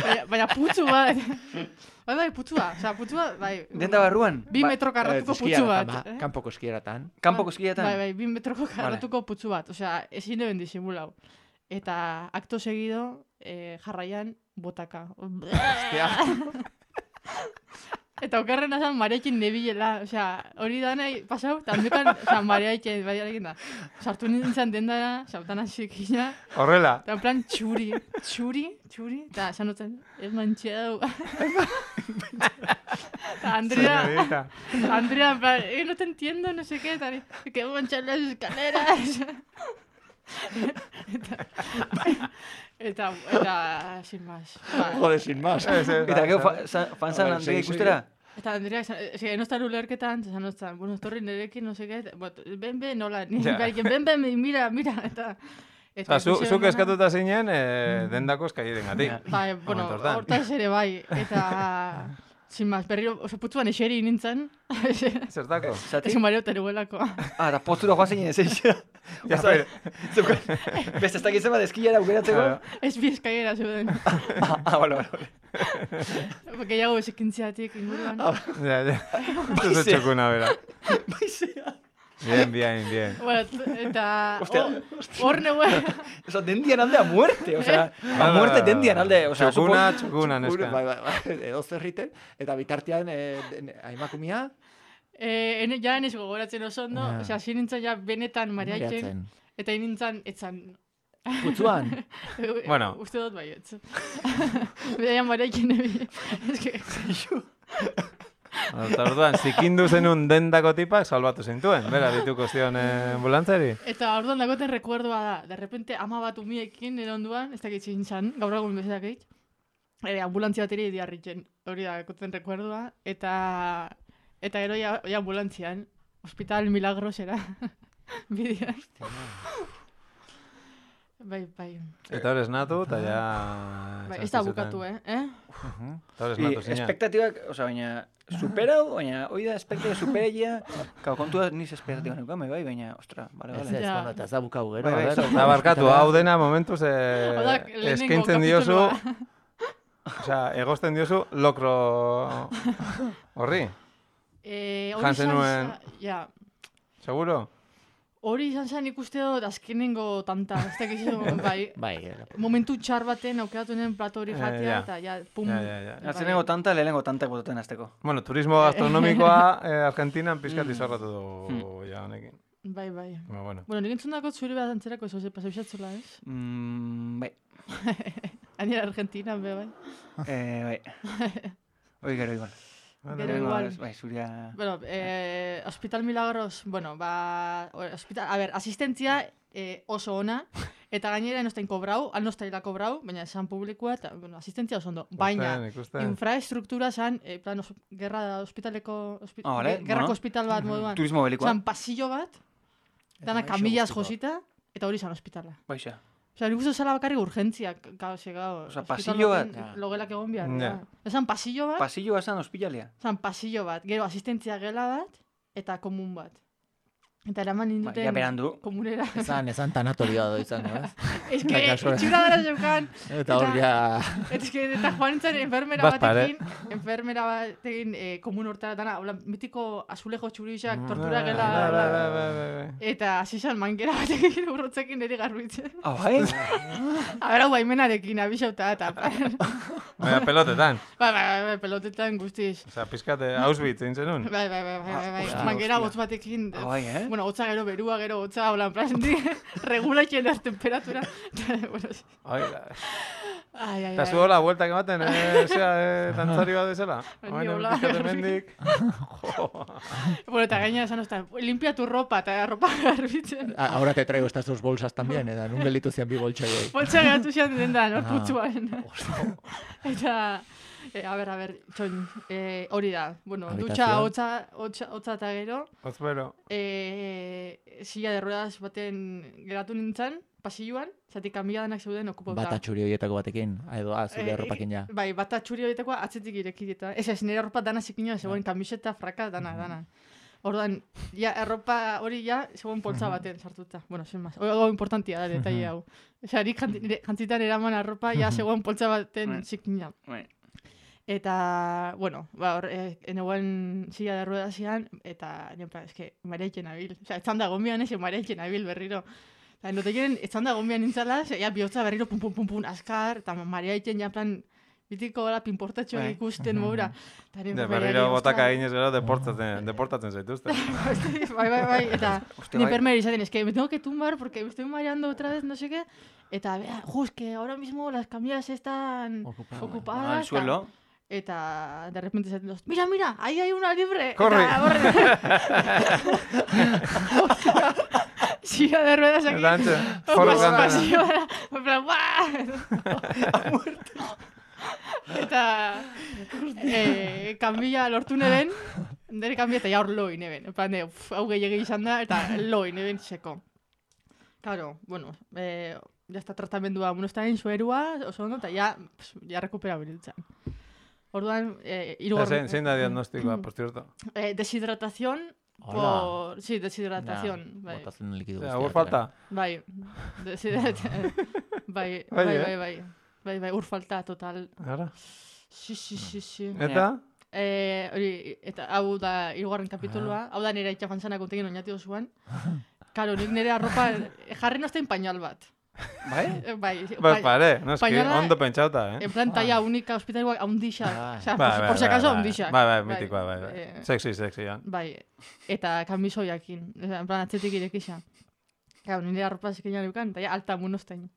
baina, baina putzu bat. Bai, bai, putzua. Osea, putzua, bai. Denda barruan? Bi Ba- metro karratuko Eh, putzu eskieratan, bat. ba, eh? Kanpoko eskieratan. Kanpoko eskietan? Bai, bai, bi metroko karratuko putzu bat. Osea, ezin deben disimulau. Eta acto seguido, eh, jarraian, botaka. Eta okerren azan mareekin nebilela, osea, hori da nahi pasau, eta handukan, osea, mareekin, baiarekin da. Sartu nintzen dendara, sautana zikina, Horrela. eta en plan txuri, txuri, txuri, eta esan dutzen, ez mantxeau. Eta Andrea, Señorita. Andrea, en plan, eh, no te entiendo, no sé qué, eta, que manchar las escaleras. eta, eta, eta, sin más. Ba, Joder, sin más. Ez, ez, Eta da, gero ez, fa- za- fanzan Vale, Andrea segi, ikustera? Eta Andrea, esan- eske, no estar ulerketan, esan notzan, bueno, etorri nerekin, no sé qué, bot, ben, ben, nola, ni, Ja. yeah. ben, ben, mira, mira, eta... Eta zu, ikusi zuk ondana- eskatuta zinen, eh, dendako eskaieren gatik. Bai, bueno, Momentu hortan. hortaz ere bai, eta... Sin más, berriro, oso putzuan eseri nintzen, Zertako? Zati? ez mareo teruelako. Ah, eta postura joan zinen ez eixera. Ja, pero... Beste, ez dakit zema deskilera aukeratzeko. Ez bi eskailera zeuden. Ah, ah, bale, bale, bale. Gehiago esekintziatik inguruan. Ja, ja. Ez txokuna, bera. Baizea. Bien, bien, bien. Bueno, eta... Ostia, Hor neuen... Osa, dendian alde a muerte, osea, a muerte dendian alde, osea, Txokuna, txokuna, neska. Bai, bai, bai, edo zerriten, eta bitartean eh, aimakumia... Eh, ene, ja enez gogoratzen oso ondo, Ja. osea, hasi nintzen ja benetan mariaitzen, Mariatzen. eta nintzen etzan... Putzuan. Bueno. Uste dut baietz. Bidaian mariaitzen ebi. Ez que... Eta orduan, zikindu zenun dendako tipak salbatu zintuen, bera, dituko zion eh, ambulantzari. Eta orduan dagoten rekuerdoa da, de repente ama bat umiekin nire onduan, ez dakit zintzan, gaur egun bezak egit, e, ambulantzia bateri diarritzen, hori da dagoten rekuerdoa, eta eta gero ja, ja ambulantzian, Hospital Milagrosera, bidean. Bai, bai. Eta hor esnatu, eta ja... Bai, ez da bukatu, eh? eh? Eta hor I esnatu zina. espektatibak, osea, baina, superau, baina, hoi da, espektatibak superaia, kau, kontua niz espektatibak neukan, bai, baina, ostra, bale, Ez bale. ez, Ja. bueno, eta ez da bukau gero. Bai, bai, a ber. Eta barkatu, hau dena momentuz eh, Hau da, lehenengo eskaintzen diozu, kapitulua. osea, egosten diozu lokro horri, Eh, hori Jan izan zenuen- za- Ja, seguro? hori izan zen ikuste dut azkenengo tanta, ez dakizu, bai, Bai, eh, momentu txar baten aukeratu nuen plato hori Eh, jatea, ja. eta ja, pum. Ja, ja, ja. bai. Atzenengo tanta, lehenengo tantak botaten azteko. Bueno, turismo gastronomikoa eh, Argentinan pizkat izorratu du ja honekin. Bai, bai. Ba, bueno. Bueno, nik entzundako zuri bat antzerako ez, pasa bisatzula, ez? Mm, bai, Anera Argentina, be, bai. eh, bai. Hoi gero igual. Gero Lehenengo, igual. Bai, zuria... Bueno, eh, Hospital Milagros, bueno, ba, hospital, a ber, asistentzia eh, oso ona, eta gainera enostain kobrau, alnostaila kobrau, baina esan publikoa, eta, bueno, asistentzia oso ondo. Baina, Ikusten, ikusten. infraestruktura zan, eh, plan, os, gerra hospitaleko, hospi, Ah, vale, ge- gerrako bueno. hospital bat moduan. Turismo belikoa. Zan pasillo bat, dana Eta kamilaz gaixo guztiko. josita, eta hori zan hospitala. Baixa. Osea, nik uste zela bakarrik urgentziak, gau, ze, gau. Osea, hospital pasillo bat. baten Ja. Logelak egon behar. Ja. Ja. Esan pasillo bat, Pasillo basan ospitalia. zan pasillo bat, gero asistentzia gela bat, eta komun bat. Eta eraman Ba, ninduten ja berandu. komunera. Esan, esan tanatorioa do izango, ez? Ez que, Bai, kasora. itxura dara zeukan. Eta hor ja... Ez que, eta joan nintzen enfermera Bat pare. batekin, enfermera batekin eh, komun hortara dana, hola, mitiko azulejo txurixak, Mm, tortura bai, gela. bai, bai, bai, bai, bai. Eta hasi zan mangera batekin urrotzekin niri garbitzen. Ah, bai? A ber, hau baimenarekin, abixauta, eta... Baina pelotetan. Bai, bai, bai, bai, pelotetan guztiz. Osea, pizkate Auschwitz egin zenun. Bai, bai, bai, bai, bai, bai. Hostia, Mangera hostia. hotz batekin. Ah, bai, eh? Bueno, hotza gero berua, gero hotza, hola, en plan, di, regulatzen az temperatura. Bueno, sí. Ai, da. Ai, ai, Eta ai. zu hola, bueltak ematen, eh, zera, eh, dantzari bat bezala. Ni Oain hola, pizkate garbi. mendik. Jo. Bueno, eta gaina esan ozta, limpia tu ropa, eta ropa garbitzen. A- Ahora te traigo estas dos bolsas también, eta nun gelitu zian bi boltsaioi. Poltsa geratu zian dendan, hor Ah. putzuan. Eta, eh, a ber, a ber, txon, eh, hori da. Bueno, dutxa, Habitación. hotza, hotza, hotza eta gero, Otzbero. eh, silla de ruedas baten geratu nintzen, pasilloan, zatik kambiadanak zeuden okupauta. Bata txuri horietako batekin, edo, ah, zure Eh, erropakin ja. Bai, bata txuri horitakoa atzetik ireki eta. Ez ez, nire arropa dana zikinoa, zegoen kamiseta, fraka, dana, dana. Orduan, ja, erropa hori ja, zegoen poltsa baten sartuta. Bueno, sin más. Hau importantia da, detalle hau. Osea, nik janti- nire- jantzitan eraman arropa, ja, zegoen poltsa baten Bai. zikina. Bai. Eta, bueno, ba, hor, eh, enegoen silla de ruedas zian, eta, nienpa, eske, mariaiken abil. Osea, etzan da gombian ez, mariaiken abil berriro. Eta, notekien, etzan da gombian nintzala, ze, ja, bihotza berriro pum, pum, pum, pum, askar, eta mariaiken, ja, plan, bitiko hola pinportatxo Bai. ikusten moura. Eta, De berriro botaka eginez gero deportatzen, deportatzen zaituzte. Bai, bai, bai, eta Hostia, ni bai. enfermera izaten, es que me tengo que tumbar porque me estoy mareando otra vez, no sé qué. Eta, vea, jo, es que ahora mismo las camillas están Ocupadas. ocupadas. Ah, el suelo. Eta de repente se los, mira, mira, ahí hay una libre. Corre. Eta, corre. Silla de ruedas aquí. Eta antxe, Pas- forro kantana. pasilloa, en plan, ¡buah! Eta eh, kanbila lortu neben, nire kanbila eta ja hor loin neben. En plan, de, uf, hau gehiagi izan da, eta loin neben seko. Claro, bueno, eh, ya está tratamendua monostain suerua, oso ondo, eta ja, pues, ja rekuperabiltzen. Orduan, eh, Eta irugor... zein, zein da diagnostikoa, por cierto. Eh, deshidratación Por, sí, deshidratación. Bai. Botatzen likidu Ja, guztiak. ur falta. Bai, deshidratación. Bai, bai, bai, bai. Bai, bai, ur falta, total. Ara. Si, si, si, si. Eta? Eh, hori, eta hau da hirugarren kapitulua, hau da nire itxafantzana kontegin oinati osoan. Karo, nik nire arropa jarri nozten pañal bat. Bai? Eh, Bai, Pues pare, no, eski, pañala- ondo pentsauta, eh? en plan talla única hospitalua haundixak. Ah. Osea, Bai, por, bai, por si bai, acaso bai. haundixak. Bai, bai, mitikoa, bai, bai. Eh, Sexy, sexy, ja. Bai, eta kamisoiakin, osea, en plan atzetik irekisa. Claro, nire arropa zikina neukan, eta ja alta munostain.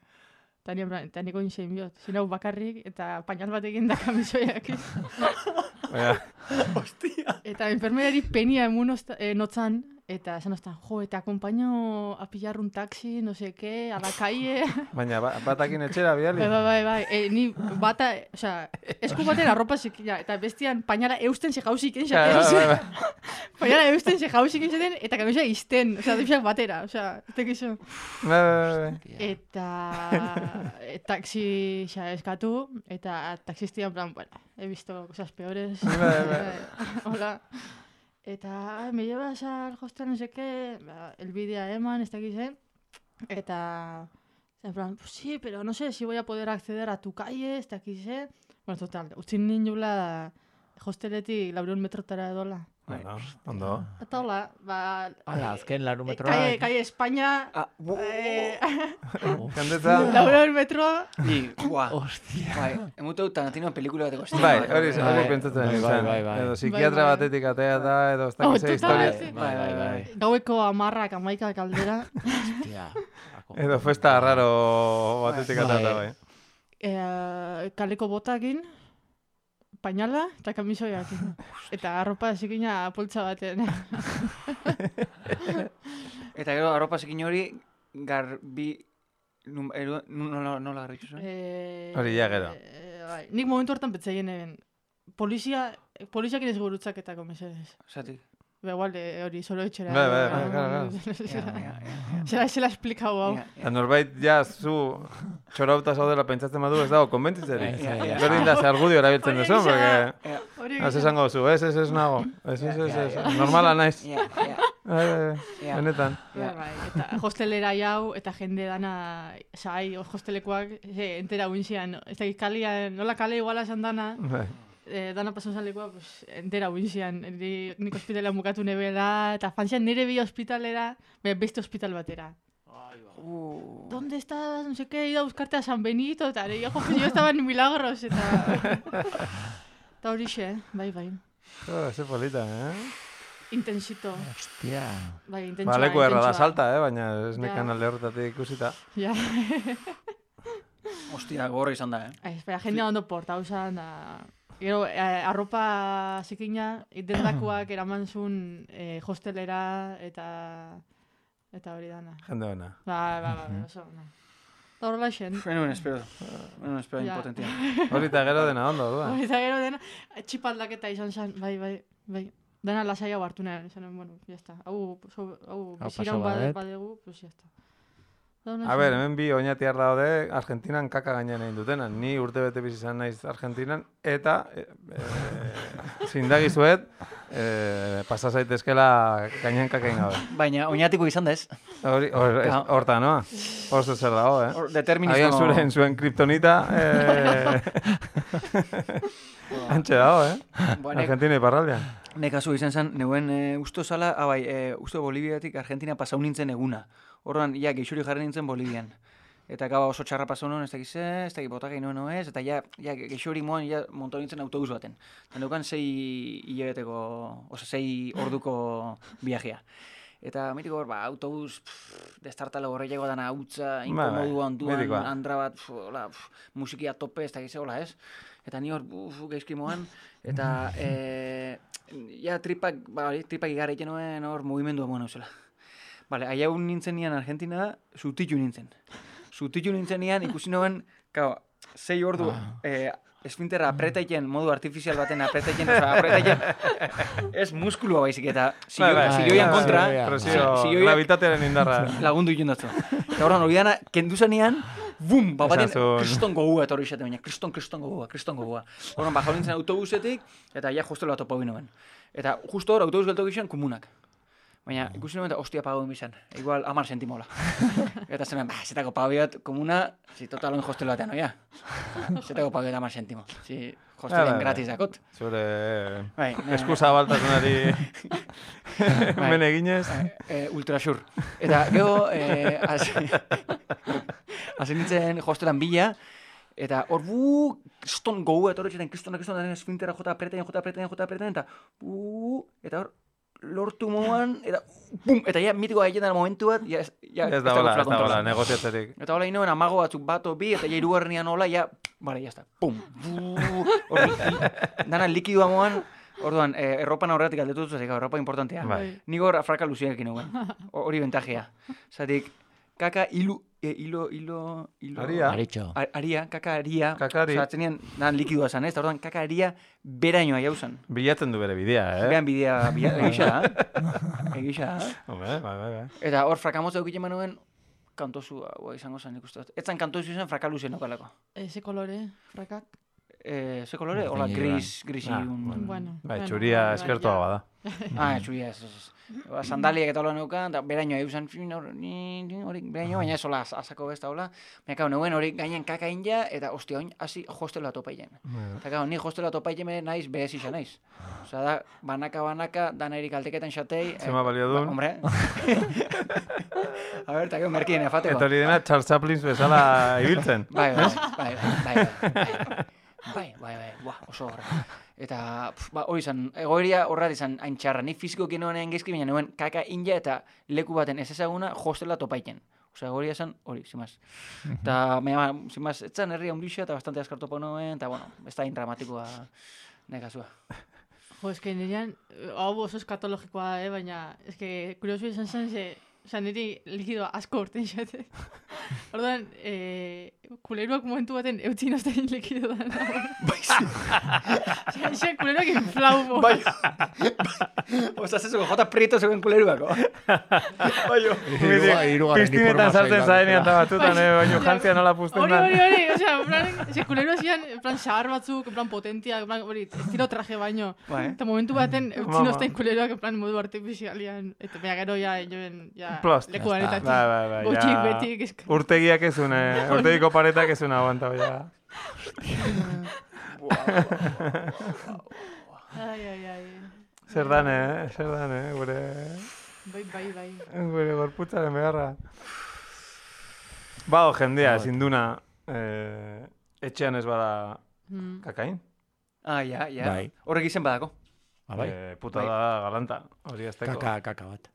Eta nire, en plan, eta niko inzein biot. Zinau bakarrik, eta pañal batekin da kamisoiakin. Baina, Eta enfermerari penia emunost, eh, notzan, eta esan ostan, jo, eta acompaño a pillar un taxi, no sé qué, a la calle. baina ba- batakin etxera biali. Bai, bai, bai, bai. E, ni bata, osea, esku batera arropa zikina, eta bestian pañala eusten ze jauzik Claro, enxaten. bai, bai. Pañala eusten ze jauzik enxaten, eta kamisa izten, osea, duzak batera, osea, ez tekizu. Bai, bai, bai. Eta e, taxi xa eskatu, eta taxistia en plan, bueno, he visto cosas peores. Bai, bai. Hola. Eta, me llevas al hostel, no sé qué, ba, el bidea eman, ez dakiz, eh? Eta, en plan, pues sí, pero no sé si voy a poder acceder a tu calle, ez dakiz, eh? Bueno, total, utzin ninula hosteletik laurehun metrotara edola. Bueno, ondo. Eta hola, ba... Hala, azken laru eh, metroa. Calle, calle España, Ah, bu- eh, Jendetza... laurehun metro, Ni, buah. Hostia. Bai, emuteu Tarantino pelikula bateko estina. Bai, bat. hori hori Bai, pentsatzen bai, izan. bai, bai. Edo psikiatra Bai, bai. batetik atea da, edo ez Oh, dakiz total, historia. sí. Bai, bai, bai. gaueko amarrak amaikak aldera. Hostia. Edo festa raro batetik atea da, bai. Eh, kaleko botakin, pañala eta kamisoiakin. Eta arropa zikina poltsa batean. Eta gero arropa zikin hori garbi... num- eru- nu- Nola nola garbitu zuen? Eh, Hori ja gero. eh, bai. Nik momentu hortan betzaien egin. Polizia, poliziakin ez gurutzaketako mesedez. Zatik. Ba, igual, eh, hori, solo etxera. Bai, bai, bai, claro, Zela, zela esplikau hau. Eta norbait, ja, zu txorauta zaudela pentsatzen badu, ez dago konbentzitzerik. Ja, ja, ja. Berdin da, ze argudio erabiltzen Hori duzu, egia da. porque... Hori Ez esango zu, ez, ez, ez nago. Ez, ez, ez, ez, normala naiz. Ja, ja, Bai, bai, bai, ja. benetan. Bai, bai, eta hostelera jau, eta jende dana, sai, hostelekoak, ze, entera uintzian, ez da, kalian, nola kale iguala esan dana, Bai. eh, dana pasan zalekoa, pues, entera uintzian, ni, nik hospitalean bukatu nebela, eta fantzian nire bi hospitalera, be, beste hospital batera. Uh, ¿Dónde estás? No sé qué, he ido a buscarte a San Benito, eta ere, jo, pues, yo estaba en Milagros, eta... Eta horixe, bai, bai. Jo, ze polita, eh? Intensito, Hostia. bai, intentsua, Ba, leku erra da intentsua. salta, eh? Baina ez nekan Ja. alde horretatik ikusita. Ja. Ostia, gogorra izan da, eh? Ez, bera, jendea ondo portau zan, da... Gero, eh, arropa zikina, dendakoak eraman zuen eh, hostelera, eta... Eta hori dana. Jende bena. Ba, ba, ba, ba, oso, no. Eta horrela xen. Fenuen espero. Fenuen espero Ja. impotentia. Hori eta gero dena ondo, duda. Eta gero dena, txipaldaketa izan zen, bai, bai, bai. Dena lasai hau hartu nahi, esanen, bueno, ya está. Hau, so, hau, Hau biziran paso bade, badet. badegu, pues ya está. Da hona A ber, zen. hemen bi oinatiar daude Argentinan kaka gainean egin dutena. Ni urte bete bizi izan naiz Argentinan, eta e, e, zindagizuet, e, pasa zaitezkela gainean kaka egin gabe. Baina, oinatiko izan da ez. Hori, hor, ez, Ja. horta, noa? Oso zer dago, eh? Hor, determinismo... Agian zuren zuen kriptonita, eh... Antxe dago, eh? Ba, nek- Argentina iparraldean. Nekazu izan zen, neuen e, usto zala, ah, bai, e, usto Boliviatik Argentina pasau nintzen eguna. Horran, ja, geixuri jarri nintzen Bolivian. Eta gaba oso txarra pasau nuen, ez dakiz ez, ez dakiz botak egin nuen ez, eta ja, ja geixuri moan, ja, montau nintzen autobus baten. Eta neukan sei hilabeteko, oza, sei orduko viajea. Eta mitiko hor, ba, autobus, pff, destartale horreiago dana hautza, inkomodua onduan, mitikoa. andra bat, pff, hola, pff, musikia tope, ez dakiz hola ez. Eta ni hor, uf, gaizki moan, eta, e, ja, tripak, ba, hori, tripak igarra egiten nuen hor, mugimendua moan hauzela. Bale, aia un nintzen nian Argentina, zutitu nintzen. Zutitu nintzen nian, ikusi nuen, kao, sei ordu, eh, esfinterra apretaiten, modu artifizial baten apretaiten, oza, apretaiten, ez muskulua baizik, eta Bai, bai, zilioian bai, kontra, bai, bai. Presio, zilioiak gravitatearen indarra. lagundu egin datzu. Eta horren, hori dana, kendu zanean, bum, bapaten, Esan zuen. kriston gogua etorri izate, baina, kriston, kriston gogua, kriston gogua. Horren, bajau nintzen autobusetik, eta ja hostelo bat topa nuen. Eta justo hor, autobus geltok izan, komunak. Baina, ikusi nuen eta ostia pagoen bizan. Igual, amar sentimola. Eta zen, bah, zetako pagoiat, komuna, si totalon hostel batean, oia. Zetako pagoiat amar sentimo. Si hostelen gratis dakot. Zure Bai, eskusa baltasunari men eginez. Eh, ultrasur. Eta, gero, eh, hasi nintzen hostelan bila, eta hor bu, ston gogu, eta horretxetan, kristonak, kristonak, esfintera jota apreten, jota apreten, jota apreten, eta bu, eta hor, lortu moan, eta bum, eta ja, mitiko haietan momentu bat, ja, ja, Ez da hola, ez da hola, negoziatzerik. Eta hola inoen amago batzuk bato bi, eta ja irugarrenean hola, ja, bale, ya está, pum, bu, hor, dana likidua moan, orduan, eh, erropan aurretik aldetu dut, erropa importantea. Bai. Nik hor fraka luziarekin nuen, hori bentajea. Zatik, kaka hilu, e, hilo, hilo, hilo... Aria. Aritxo. A- Aria, kaka aria. Kakari. Osa, atzenean, nan likidua zan, ez? Eta orduan, kaka aria berainoa jauzan. Bilatzen du bere bidea, eh? Behan bidea, bidea, egisa da. Egisa da. Hombre, bai, bai, bai. Eta hor frakamotza eukite manuen, kantozua, boa, izango zen ikustu. Etzan kantozu zen frakaluzien okalako. Eze kolore, frakak. Eh, ze kolore? Bai, Hola, bai. gris, grisi Ah, un... Bueno. bueno, Bai, bueno, txuria bai, eskertua ja. bada. Ah, txuria, ez, ez, ez. Ba, sandaliak eta hola neukan, eta berainoa eusen, fin, hor, ni, ni, hori, berainoa, baina ez hola, azako besta hola. Baina, kau, neuen hori gainen kaka inja, eta, ostia, oin, hasi hostela topaien. Eta, kau, ni hostela topaien naiz, behez isa naiz. Osa da, banaka-banaka, danairik alteketan xatei. Zema balio duen? Ba, hombre. A ber, eta, kau, merkien efateko. Eta hori dena Charles Chaplin bezala ibiltzen. Bai, bai, bai, bai, bai, bai, bai, bai, bai, buah, oso horra. Eta, pf, ba, hori izan, egoeria horra izan hain txarra. Ni fizikoki noen gaizki, baina nuen kaka inja eta leku baten ez ezaguna hostela topaiten. Osea, egoeria izan hori, zimaz. Eta, baina, zimaz, etzan herria ondixa eta bastante askar topo noen, eta, bueno, ez da indramatikoa nekazua. Jo, eske nirean, hau oso eskatologikoa da, eh? Baina, eske, kuriosu izan zen, ze, oza, niri likidoa asko urten xate. Orduan, eh, kuleruak momentu baten eutzin ozten likidoan. Oza, xe, kuleruak inflau bo. Bai, oza, zezuko, jota prieto zegoen kuleruako. Bai, hirugarren Piztinetan sartzen zaenean eta batzutan, eh, baino jantzia nola puzten Hori, da. hori, hori, osea, en plan, ze kuleruak zian, en plan, xahar batzuk, en plan, potentiak, en plan, hori, estilo traje baino. Bai. Eta momentu baten eutzin Mama. ozten kuleruak, en plan, modu artifizialian. Eta bea gero, ja, joen, ja, Plost. leku Ya está. banetatik. Bai, bai, bai, Gotxik, ja. betik, eska. Urtegiak ez une, urtegiko paretak ez une aguanta, ja. Ai, ai, ai. Zer dan, eh? Zer dan, eh? Gure, Bai, bai, bai. gure gorputzaren beharra. Bado jendea, Bai. ezin duna, eh, etxean ez bada Mm. kakain. Ah, ja, ja. Bai. Horrek izen badako. Ah, bai. Eh, puta Bai. da galanta, hori ez teko. Kaka, kaka bat.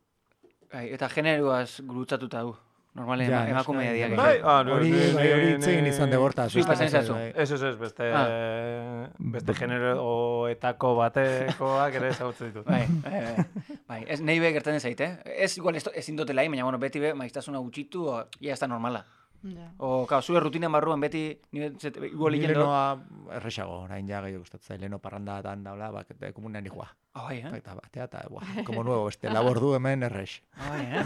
Bai, eta generoaz gurutzatuta du. Normalen Ja, ema, emakumea noski. diak. Bai, ah, no, Hori, ni- bai, hori ni- itzegin izan ni- degorta. Zui pasen ezazu. Ez, ez, ez, beste, Ah. beste generoetako batekoak ere ezagutzen ditut. Bai, bai, bai. Bai, ez nahi be gertatzen zait, eh? Ez igual ez, ezin dutela, baina bueno, beti be maiztasuna gutxitu, o, ja ez da normala. Ja. O, kao, zure rutinan barruan beti, ni zet, igual Ni egin do. lenoa erresago, orain ja gehiago gustatzen. Leno parrandatan daula, bak, komunean ikua. Ah, bai, eh? Eta batea, eta, buah, como nuevo, beste labor du hemen erres. Ah, bai, eh?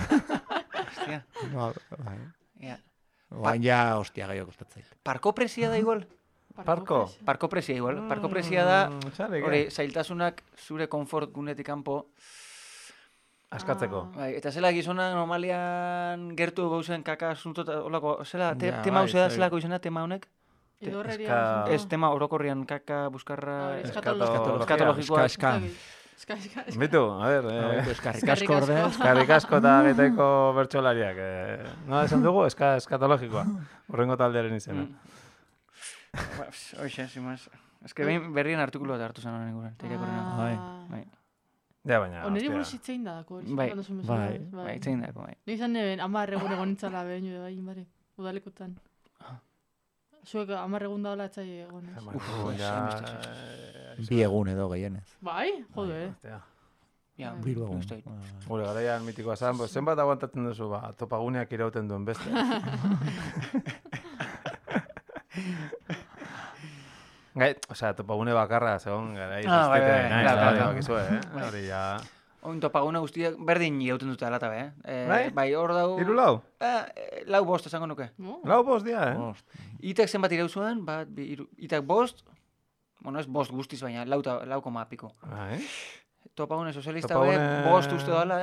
Hostia, No, bai. ja. Orain ja, hostia, gehiago gustatzen. Parko presia da igual? Parko? Parko presia igual. Parko presia da, Mm, txarrik, eh? hori, zailtasunak zure konfort gunetik kanpo. Askatzeko. Ah. Bai, eta zela gizona normalian gertu gauzen kaka asunto eta holako, zela, te, Ja, tema bai, hau da bai. zelako izena, tema honek? Idorreria. Eska- Ez tema orokorrian kaka, buskarra... Ah, hori, Eskato- eskatologia. Eskatologikoa. Eska, Eska, eska, eska. Bitu, a ber, Bai, eh, eskarrik Eskerrik asko ordez. asko. eskarrik asko eta getaiko bertsolariak. Eh, no, esan dugu, eska, eskatologikoa. Horrengo taldearen izena. Mm. Ba, Hoxe, zimaz. Ez que behin berrien artikulu bat hartu zen honen inguruan. Ah. Bai. Bai. Ja, baina, Oneri hostia. buruz hitzein da dako, hori. Bai. Cuando son Bai. mesedores, Bai, itzein dako, bai. Nik izan neben, amar egun egon nintzala behin, bai, bari, udalekotan. Zuek amar egun daola etzai egon, ez? Uf, Uf, ja, hainbeste, eh, Bi egun edo gehienez. Bai, jode, hostia. Ja, Biru egun. uste dut. Ah. Gure garaian mitikoa zan, pues, zenbat aguantatzen duzu, ba, topaguneak irauten duen beste. Gai, osea, topagune bakarra, zegoen, garai, Ah, bai, bai, besteite, bai, nahi, claro, hori claro. bakizue, eh? Bai. Hori ja... Oin topagune guztiak berdin jauten dute alata, be, eh? Eh, Bai? Bai, hor dau... Hiru lau? Eh, eh, lau bost, esango nuke. No? Lau bost dia, eh? Bost. Itak zenbat irau zuen, bat, bi, iru, itak bost, bueno, ez bost guztiz, baina lau, ta- lau koma piko. Bai. topagune sozialista Topagune- hauek bost uste dala,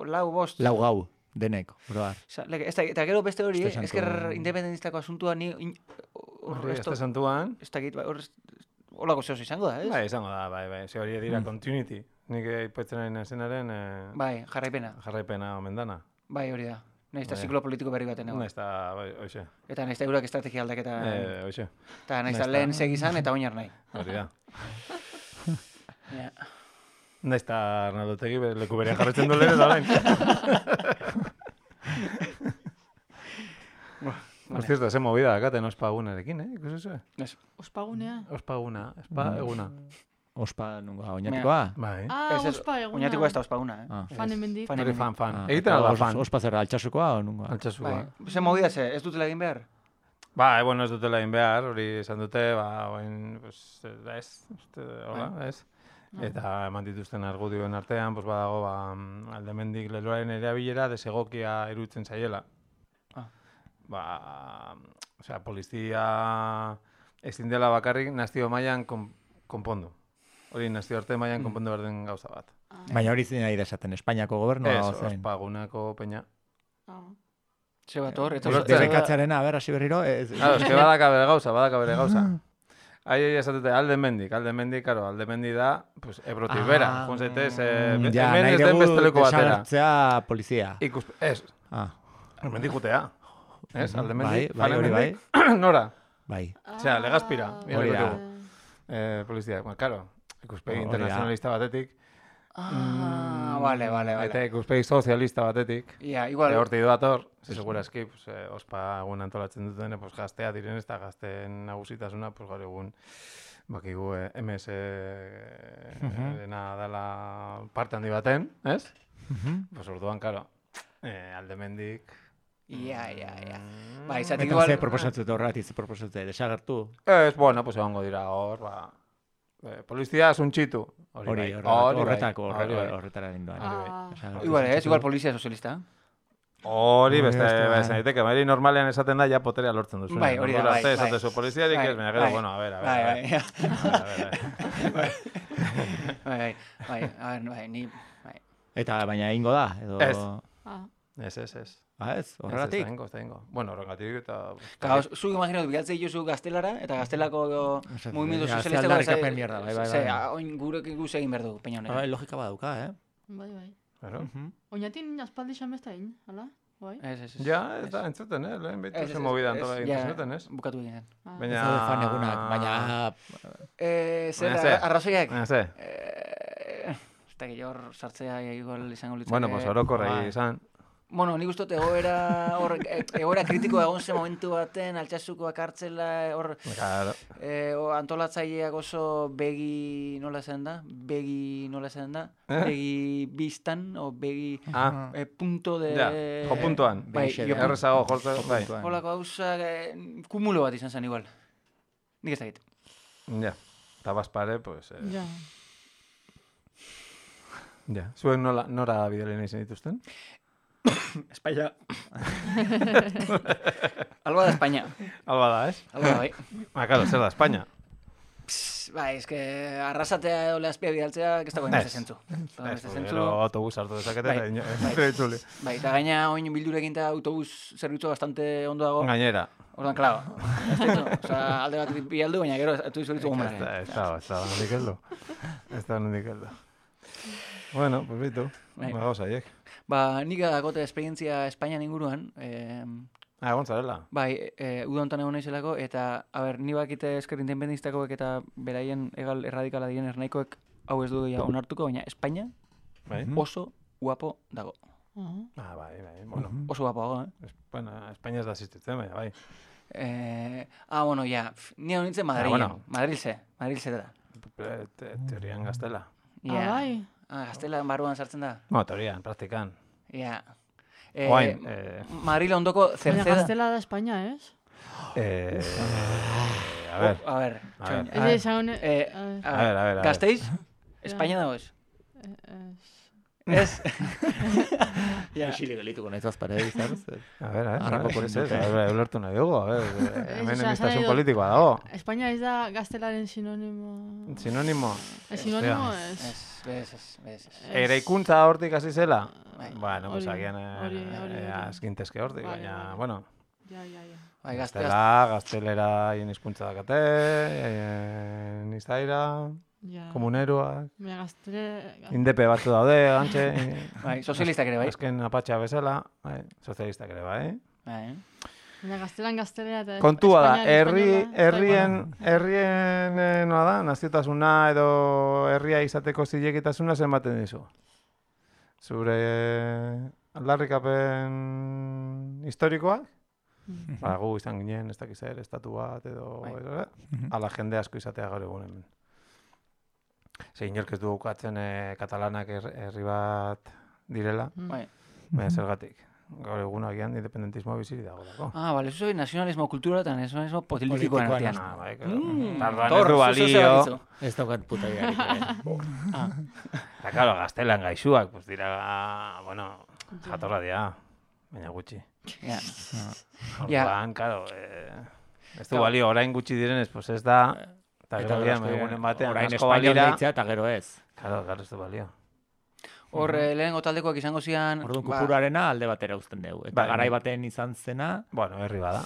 lau bost. Lau gau, denek, broar. Osa, lege, ez da, eta gero beste hori, Uste eh, santu- ezker independentistako asuntua ni... in- hor Hori, esto- este santuan. Ez dakit, bai, hor... Olako zehoz izango da, ez? Bai, izango da, bai, bai. Ze hori dira continuity. Nik aipatzen ari nazenaren eh, Bai, jarraipena. jarraipena omen dana. Bai, hori da. Naiz eta Bai. ziklo politiko berri baten egon. Naiz eta, bai, hoxe. Eta naiz eta eurak estrategia aldaketa... Eh, hoxe. Eta naiz eta naiz lehen eta- segizan eta oinar nahi. Hori da. Ja. Naiz eta Arnaldotegi bere leku berean jarretzen du lehen eta orain. Por cierto, ese movida dakaten ospagunarekin, eh? Ikusi zuen? Ez. Ospagunea. Ospaguna, espa eguna. Ospa, nunga, oinatikoa? Bai. Ah, Ez, ez, ospa eguna. Oinatiko ez da ospaguna, eh? Ah. Fan hemendik. Fan Hori hemendik. fan, fan. Ah, Egiten eta alda os- fan. Ospa zerra, altxasukoa o nunga? Altxasua. Bai, ze movida ze, ez dutela egin behar? Ba, bueno, ez dutela egin behar, hori esan dute, ba, oin, pues, ez, uste, hola, ez. Eta eman dituzten argudioen artean, pues, badago, ba, aldemendik leloaren erabilera desegokia iruditzen zaiela. Ah. Ba, osea, polizia ezin dela bakarrik nazio mailan kon, konpondu. Hori nazio arte mailan konpondu behar den gauza bat. Baina hori zin nahi da esaten, Espainiako gobernua Ez, o zein? ospagunako peña. Ah. Ze bat hor, eta... Ulertzen. Debekatzearena, a ber, hasi berriro, ez... Claro, es que badaka bere gauza, badaka bere gauza. Ai, ai, esatute, alde mendik, alde mendik, karo, alde mendi da, pues, ebrotik bera. Ah, Jun zaitez, eh, Mm, be- ja, hemen nahi ez den dugu besteleko batera. desagertzea polizia. Ikus, ez, Ah, mendik jutea. Ez, alde bai, mendik, bai, hori bai. nora, Bai. Osea, Legazpira, Ah, hori da. vale. eh, polizia. Bueno, karo, ikuspegi Hori da. internazionalista batetik, Ah, vale, vale, eta vale. ikuspegi sozialista batetik, Ja, igual... hortik doator, ze segurazki, pues, eh, ospa egun antolatzen duten, pues, gaztea diren ez da gazteen nagusitasuna, pues, gaur egun, bakigu eh, M S dena dela parte handi baten, ez? Pues orduan, karo, eh, aldemendik... Ja, ja, ja. Ba, izatik Eta igual... ze proposatzute horretik, ze proposatzute, desagertu. Ez, bueno, pues egongo dira hor, ba... Eh, polizia suntxitu. Hori, Hori, bai, horre- hori bai, horretako, hori bai. horretara lindoan. Ah. Igual, ez, igual polizia sozialista. Hori, beste, Hori, beste, beste, daiteke, mairi normalean esaten da, ja poterea lortzen duzu. Bai, hori da, bai, bai. Esatezu poliziarik ez, baina gero, Bai, bueno, a ver, a ver, Bai, a bai, ver. ja. A ver, a ver. Bai, bai, bai, a ver, bai, ni... Bai. Eta baina egingo da, edo... Ez. Ah. Ez, ez, ez. Ah, ez, Ez, ez, horregatik. da ingo, ez da ingo. Bueno, horregatik eta... Claro, zuk imaginatu, bilatzei jozu gaztelara, eta gaztelako Esaten, mugimendu ja, ze sozialista... aldarrikapen mierda, bai, bai, Ze, bai. a- oin gurek guz egin behar dugu, peina Ah, honetan. logika baduka, eh? Bai, bai. Claro. Mhm. Oinatin aspaldi xamesta egin, hala? Bai? Ez, ez, ez. Ja, ez da, entzuten, eh? Lehen behitu Ez, ez, zen ez, movida ez, antola ja, egiten zuten, ez? Bukatu egiten. Ah. Baina... Ez daude fan egunak, baina... Eh, zer, Baina ze? arrazoiak? Baina ze? Eh, ez da hor sartzea igual izango litzake. Bueno, pues orokorrei bai. izan. Bueno, nik uste dut egoera, hor, e- egoera kritikoa egon zen momentu baten, altxasukoak hartzela, hor, Claro. e, o, antolatzaileak oso begi, nola zen da? Begi, nola zen da? Eh? Begi biztan, o begi Ah, e, punto de... ja, jo puntuan. Bai, Begixe, jo eh? Errezago jortze, bai. puntuan. Holako gauzak, e, kumulo bat izan zen igual. Nik ez dakit. Ja. Eta bazpare, pues... Eh, Ja. ja. Zuek nola, nora bidelen izan dituzten? España. Alba da España. Alba da, ez? Alba da, bai. Ah, claro, zer da, España. Pss, bai, eske arrasatea edo lehazpia bidaltzea, ez dago Ez. beste zentzu. Ez dago Ez, beste gero zentzu. autobus hartu dezakete, Bai, eta ino- bai. ez itzuli. Bai, eta gaina oin bildurekin eta autobus zerbitzu bastante ondo dago. Gainera. Ordan, klaro. Ez ditu, oza, alde bat bialdu, baina gero autobus zerbitzu Ez gomara. da, ez da, ez da, nondik heldu. Ez da, nondik heldu. Bueno, pues bitu, Bai. ba gauza, haiek. Ba, nik dagote esperientzia Espainian inguruan, eh, Ah, egon zarela. bai, e, uda hontan egon naizelako, eta, a ber, ni bakite esker independistakoek eta beraien egal erradikala diren ernaikoek hau ez du ja onartuko, baina Espainia Bai? oso guapo dago. Ah. Ah, bai, bai, bueno. Oso guapo dago, eh? Es- Bueno, Espainia ez da asistitzen, baina, bai. Eh, ah, bueno, ja, pf, ni hau nintzen Madrilen. bueno. Madrilze, Madrilze da. Te- te- Teorian gaztela. Ja. Ah, bai. Ah, gaztela barruan sartzen da. No, teorian, praktikan. Ja. Eh, Oain, eh, Madril ondoko Baina Cerceda. gaztela da Espainia, ez? eh, a ver, Oh, a ver, A txoin, ver. a ver. Ez esan... Eh, a ver, a a ver, a ver. a ver. Gasteiz? Espainia dago ez? ez. Ez. Ja. Isilik gelituko nahi zazpare, izan. A ver, a ver, Harrapoko ez, ez, a ver, ulertu nahi dugu, a ver, hemen osea, emistasun esan nahi politikoa dago. Espainia ez da gaztelaren sinonimo... Sinonimo. Ez sinonimo Hostia. ez... Ez, bez, ez, bez. ez. Eraikuntza hortik hasi zela? Bai. Bueno, pues Hori, agian hori, hori, hori. azkintezke hortik, Bai, baina, bai. bueno, Ja, ja, ja. Bai, gazte, gaztela, gaztelera hien hizkuntza dakate, eh, nizaira, Ja. komuneroak, Baina gaztele... indepe batzu daude, gantxe, bai, sozialistak ere, bai. azken apatxa bezala, bai, sozialistak ere, bai. Bai. Baina gaztelan gaztelea eta... Kontua da, Espainian herri, espainola, herrien, herrien, eh, noa da, naziotasuna edo herria izateko zilegitasuna zenbaten dizu. Zure aldarrikapen historikoak, Mm. ba, gu izan ginen, ez dakiz ere, estatu bat edo, Bai. edo, eh? ala jende asko izatea gaur egun hemen. Ze inork ez du ukatzen eh, katalanak her- herri bat direla, Mm. Bai. baina zergatik. Gaur egun agian independentismoa biziri dago dago. Ah, vale, eso nazionalismo kultura eta nazionalismo politikoan Politikoan, artean. Ah, bai, claro. Mm, Tarduan Tor, ez du zu zer balio. bakitzu. Ez daukat puta idearik. Ah, Eta, claro, gaztelan gaixuak, pues dira, bueno, jatorra dira, baina gutxi. ja. Ja. Orduan, claro, eh, ez du balio, orain gutxi direnez, pues ez da, eta Eta gero gero gian, egunen batean, orain asko espainol balira, deitzea eta gero ez. claro, claro, ez du balio. Hor, eh, lehenengo taldekoak izango zian... Orduan ba, kupurarena alde batera uzten dugu. Eta Bai, garai bai. baten izan zena, Bueno, herri bada,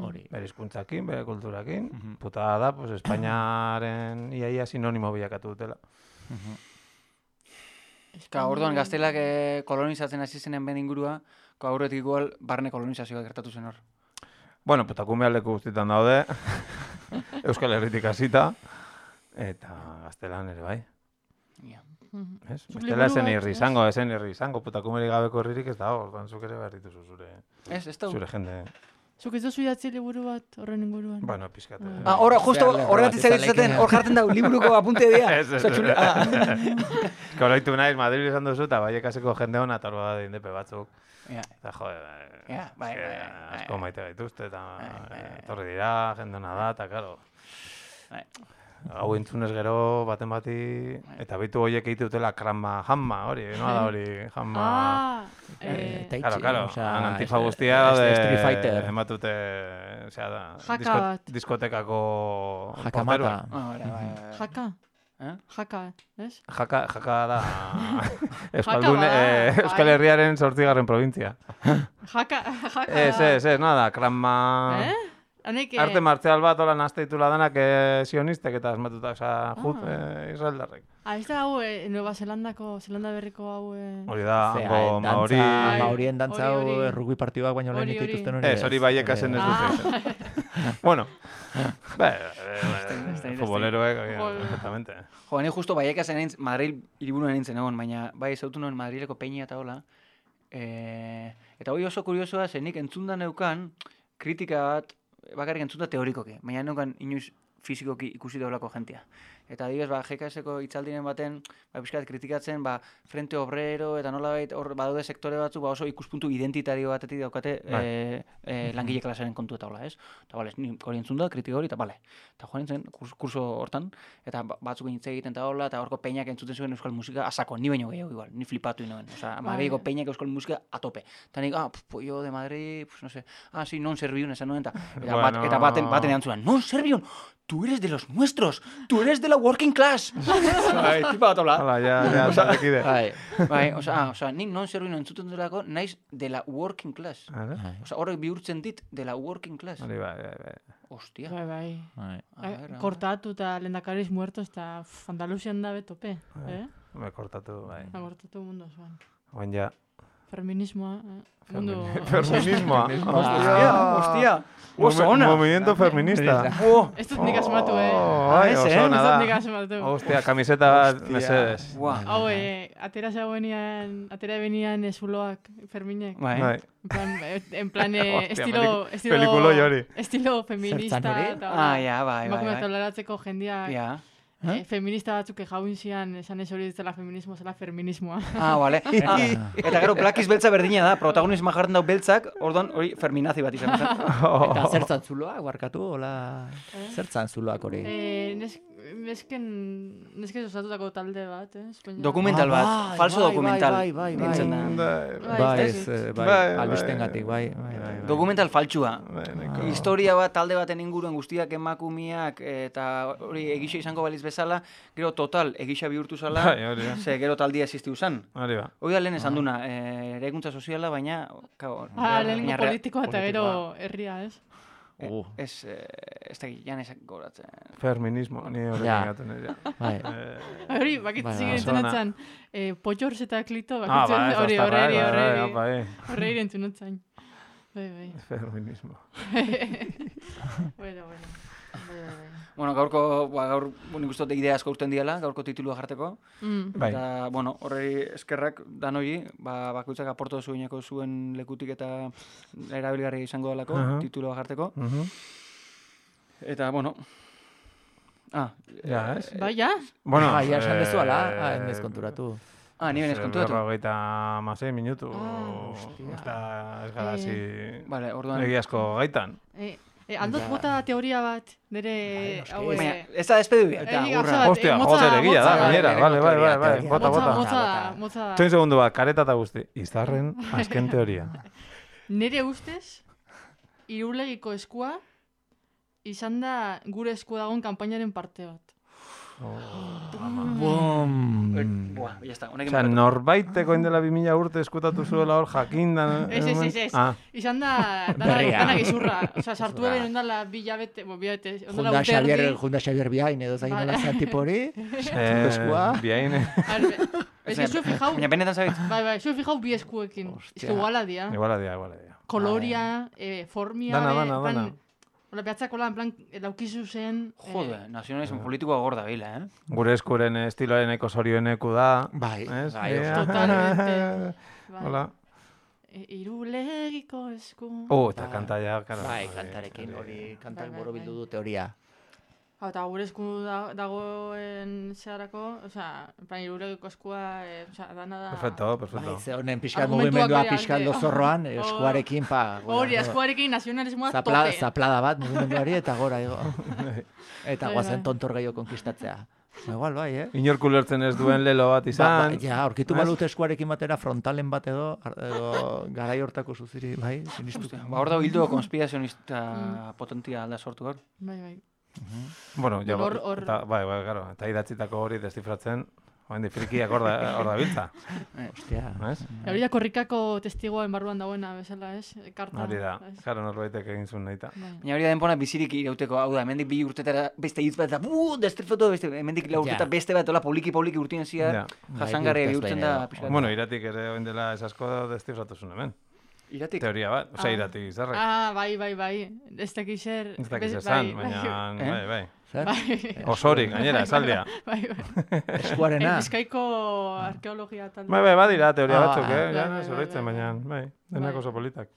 hori. bere hizkuntzakin, bere kulturakin, Mhm. putada da, pues Espainiaren iaia sinonimo bilakatu dutela. Ka, orduan gaztelak eh, kolonizatzen hasi zenen ben ingurua, ka aurretik igual barne kolonizazioa gertatu zen hor. Bueno, putakume leku guztietan daude, Euskal Herritik hasita, eta gaztelan ere bai. Ja. Mhm. Ez? Zuk Bestela esen liburu bat, irri ez? izango, esen irri izango, putakumeri gabeko herririk ez dago, orduan zuk ere behar dituzu zure, Ez, ez da. zure jende. Zuk ez duzu idatzi liburu bat horren inguruan? Bueno, pizkat. eh. Ah, hor, justo Zer, horregatik lerro bat zaitu zaten, izan hor jartzen da, liburuko apunte dira. Ez, ez, Osa, txule- ez. ah. Koraitu naiz, Madrid izan duzu, eta baiekaseko jende hona, eta hor bada indepe batzuk. Ja. Eta jode, Ja, bai, eske bai, bai, asko bai. maite gaituzte, eta Bai, bai, eh, bai. etorri dira, jende hona da, eta karo. Bai. Hau entzunez gero, baten bati, eta bitu horiek egite dutela krama hamma, hori, noa da hori, hamma. Ah, Eh, eh, eta Claro, itxi, claro, osea, han antifa ez- guztia ez- daude, Street Fighter. ematute, osea, da, Jaka disko, bat. diskotekako Jakamata. porteroak. Ah, bai, bai, bai. jaka, Eh? jaka, ez? Jaka, jaka da Euskaldun, bada, eh, bai. Euskal Herriaren zortzigarren provintzia. Jaka, jaka. Ez, ez, ez, nada, krama... Eh? Hanek, Arte martzial bat hola nazteitula danak eh, sionistek eta asmatuta, osea, jut, Ah. eh, Israeldarrek. ah, ez da hau, eh, Nueva Zelandako, Zelanda berriko hau, eh... Hori da, Zea, hango eh, maori... dantza- Maorien dantza Hori, hau hori. rugby partiduak baino lehen Hori, hori. dituzten hori. Ez, hori baiekasen ez Ah. dute. Bueno, be, ez da, futboleroek, eh, Joder. perfectamente. Jo, ni justo baieka zen egin, Madrid hiriburuan nintzen egon, baina bai zautu nuen Madrileko peña eta hola. E, eta hori oso kuriosoa, zenik entzundan neukan, kritika bat, bakarrik entzunda teorikoki, baina neukan inoiz fizikoki ikusi daulako jentia. Eta adibidez, ba, G K S-eko hitzaldien baten, ba, pixkat kritikatzen, ba, Frente Obrero eta nolabait hor badaude sektore batzu, ba, oso ikuspuntu identitario batetik daukate Bai. e, e, langile klasaren kontu eta hola, ez? Eta bale, ni hori entzunda, kritika hori, eta bale. Eta joan nintzen kurs, kurso hortan, eta ba- batzuk hitz egiten eta hola, eta horko peñak entzuten zuen euskal musika asako, ni baino gehiago igual, ni flipatu inoen. Osea, Madrileko Bai. peñak euskal musika a tope. Eta nik, ah, pf, pollo de Madrid, pues no sé, ah, sí, non serviun esan nuen, eta, eta, bat, Bueno. eta baten, baten erantzunan, non serviun, tú eres de los nuestros, tú eres de la working class. Bai, tipa bat hola. Hala, ja, ja, taldekide. Bai. Bai, osea, ah, osea, nik non serviun entzuten delako, naiz de la working class. Hala, Bai. Osea, horrek bihurtzen dit de la working class. hori bai, bai, bai. Hostia. Bai, bai. Bai. A Eh, ver, a Kortatu eta lehendakariz muertos eta pff, Andaluzian da betope, Bai. eh? Me kortatu, bai. Ha kortatu mundu osoan. Oain ja. Feminismoa, eh? Mundu... Femini- Feminismoa. Hostia, hostia. Oso ona. Movimiento feminista. Oh, Ez dut nik asmatu, eh? Oh, bai, ez, oso eh? ona Ez dut nik da. asmatu. Hostia, kamiseta bat, Hostia. mesedes. Buah. Hau, eh, atera zegoenian, atera benian ezuloak, Ferminek. Bai. Bai. En plan, eh, en plan eh, Hostia, estilo, peliku- estilo, pelikuloi hori. estilo feminista. Zertzan hori? eta Ah, ja, bai, bai, emakumeak bai. toleratzeko jendeak. Ja. Eh, feminista batzuk jaun zian, esan ez hori ditzela feminismo, zela feminismoa. Ah, bale. Ah, eta gero, plakiz beltza berdina da, protagonismoa jartzen dau beltzak, orduan hori feminazi bat izan. Eta zertzan zuloak, barkatu, hola, zertzan zuloak hori. Eh, nes, nesken, nesken osatutako talde bat, eh? Espainia. Dokumental bat, Ah, bai, falso bai, dokumental. bai, bai, bai, nintzen da. Bai, Bai, ez ez, dakit. eh, bai, Bai, albistengatik, bai, bai, bai. Dokumental faltsua. Bai, nahiko. Historia bat talde baten inguruen guztiak emakumiak eta hori egisa izango baliz bezala, gero total egisa bihurtu zala, Bai, hori da. ze gero taldia existiu zan. Hori ba. Hori da lehen esan duna, eh, eraikuntza soziala, baina... Kao, Ah, baina lehenengo rea- politikoa eta gero herria, ez? eh, Uh. Ez, eh, ez da jan ezak goratzen. Feminismo, ni hori Ja. gaten ja. Bai. Eh, Hori, bakit Bai, zigen bai. entzunatzen, eh, potxors eta klito, Ah, bakit bai, hori, ez da, horreri, bai, bai, horreri, bai, horreri entzunatzen. Bai, bai. Feminismo. Bueno, bueno. Bai, bai, bai. Bueno, gaurko, ba, gaur, nik uste dut idea asko usten diala, gaurko titulua jarteko. Mm. Bai. Eta, bueno, horrei eskerrak danoi, ba, bakoitzak aporto zueneko zuen lekutik eta erabilgarri izango dalako, Aha. titulua jarteko. Mhm. Eta, bueno... Ah, Ja, ez? Bai, ja? Bueno, Bai, ja esan dezu, ala, eh, ah, endez konturatu. ah, ni benez konturatu. Berrogeita hamasei minutu. Ah, Ez da, ez gara zi... Vale, orduan... Egiazko gaitan. Eh, eh, aldot Ja. bota teoria bat, nire... noski. hau, eh, Baina, ez da despedidu behar. Eta, Eta, gauza urra. bat, Hostia, eh, motza- joder, egia da, motza- gainera. bai, Vale, bai, bai, teoria, bai. teoria. Bota, Motza, bota. motza, Bota. motza. Txoin segundu bat, kareta eta guzti. Izarren azken teoria. Nire ustez, irulegiko eskua, izan da gure esku dagoen kanpainaren parte bat. Bum. Buah, ya está, honekin Osea, bukatu. norbaiteko indela bi mila urte eskutatu zuela hor jakindan. Ez, ez, ez, ez. Ah, Izan da, dana, Berria. dana gizurra. Osa, sartu Gizurra. eben ondala bi jabete, bo, bi jabete, ondala Junda urte Xavier, erdi. Junda Xavier bihain, edo zain Bai. nola zan tipo hori. eh, eskua. biain, Arbe, Ez que zu fijau, Baina benetan zabit. bai, bai, zu fijau bi eskuekin. Ez Hostia. que iguala dia. iguala dia, iguala dia. Koloria, eh, formia, Dana, be, dana, en plan, dana. Hola, behatzakola, en plan, laukizu zen... eh, Jode, nazionalismo politikoa gorda bila, eh? Gure eskuren estiloaren eko zorioneku da. Bai, Ez? bai, Eh, oso. Totalmente. bai. Hola. E, irulegiko esku... Oh, eta kanta ja, karo. Bai, kantarekin hori, kantak Bai, bai, borobildu bai. du teoria. Hau, eta gure esku da, dagoen zeharako, osea, en plan, irulegiko eskua, eh, osea, dana da... Perfecto, perfecto. Bai, ze honen pixkat Argumentuak mugimendua bai, pixkat ante. lozorroan, Oh. eskuarekin, pa. gora, Hori, gora. eskuarekin nazionalismoa Zapla, tope. zaplada bat mugimenduari eta gora igo. Eta Bai, guazen bai. tontor gehiago konkistatzea. Igual bai, eh? Inork ulertzen ez duen lelo bat Ba, izan. ba, ja, aurkitu Ez? balute eskuarekin batera frontalen bat edo, ar- edo garai hortako zuziri, bai, sinistu. Ba, hor dago hildo konspirazionista potentia alda sortu gaur. Bai, bai. Bueno, ja, Hor- hor- eta, bai, bai, claro, eta idatzitako hori destifratzen, oen frikiak hor da, hor da biltza, Ostia. ez? Hori da korrikako testigoen barruan dagoena bezala, ez? Karta. Hori da, ez? claro, norbaitek egin zuen nahita. Bai. Baina hori da denpona bizirik irauteko, hau da, hemendik bi urtetara beste hitz bat, eta buuu, destrifoto, beste, hemendik lau urteta Ja. beste bat, hola, poliki-poliki urtien ziar, Ja. jasangarri Bai, bihurtzen urtez da, behin pixkat. Bueno, iratik ere oin dela ez asko destifratu zuen hemen. Iratik. Teoria bat, osea, Ah. iratik izarrek. Ah, bai, bai, bai. Ez dakiz zer... Ez dakiz bez- esan, bai, baina, Eh? bai, bai. Zer? Bai, Osorik, gainera, esaldia. bai, bai. Eskuarena. Eh, Bizkaiko arkeologia talde. Bai, bai, badira teoria Ah, batzuk, eh? bai, Ja, bai, ez bai, oroitzen, bai, baina, bai. bai, denak Bai. oso politak.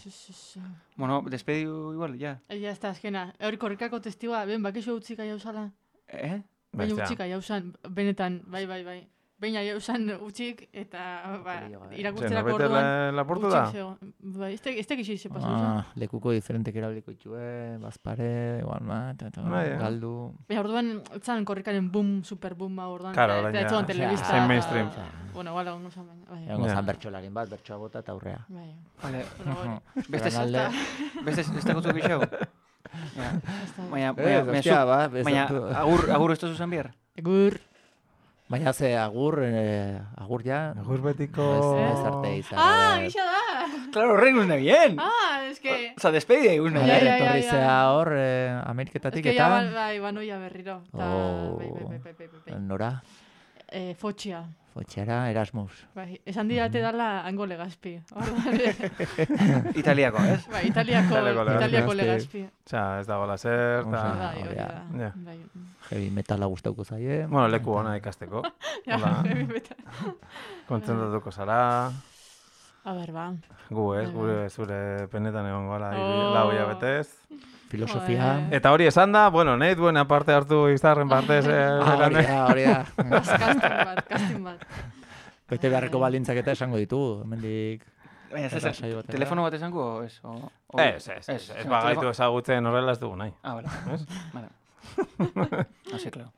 Si, si, si. Bueno, despediu igual, ja. Eh, Ya está, azkena. Hori korrikako testigua, ben, bakizu utzika jauzala. Eh? Baina Bestea. utzika jauzan, benetan, bai, bai, bai. Baina jauzan utzik, eta, ba, Hori jo, eh. Zer, irakurtzerako norbete orduan... lapurtu da? utzik zegoen. Bai, ez tek- ez tekizu ize pasu Ah, lekuko diferentek erabiliko itxue, bazpare, igual bat, eta Bai, eh. galdu. Baina orduan, etzan korrikaren boom, super boom orduan. Claro, eta- orain eta ja, etzuan osea, telebista. zen eta- mainstream. Bueno, igual egongo zan baina. Bai, Egongo Ja. zan bertxolarin bat, bertsoa bota eta aurrea. bai. Vale. Bueno, hori. Beste Zuen alde. Beste ez da gutu gixau? Ja. Ez da- Baina, Eh, baina, baina, hostia, zu- ba, baina, bezatu. agur, agur ez da zuzan bihar? Egur. Baina ze agur, eh, agur ja, Agur betiko... ez, ez arte izan. Ah, eh, gisa da! Claro, horrek guzna bien! Ah, es que... Osa, despedida guzna Ja, Bai, ja, bien. ja, etorri ja. zea hor, eh, Es Ameriketatik que ya eta... bai, bai, banoia berriro. Ta, Oh. bai, bai, bai, bai, bai, bai. Nora, Eh, fotxia. fotxera Erasmus. Bai, esan didate dala hango legazpi. Orduan, Italiako, ez? bai, italiako, Italiako legazpi. italiako legazpi. Osea, ez dagoela zer, Osa. eta... Bai, hori ja. da. Ja. Bai. Heavy metala gustauko zaie. Bueno, leku ona ikasteko. Ja, Hola, heavy metal. kontzentratuko zara. A ber, ba. Gu ez, Bai, gure zure penetan egon gara, Oh. lau hilabetez. filosofia... Eta hori esan da, bueno, nahi duena parte hartu izarren partez. Eh, Ah, hori da, hori da. Casting bat, casting bat. Bete beharreko baldintzak eta esango ditu, hemendik... Baina, ez, Erra saio ez, batera. telefono bat esango, o ez? O, o, Ez, ez, ez, ez bagaitu ezagutzen horrela ez dugu nahi. Ah, vale. Ez? Vale. Así, claro.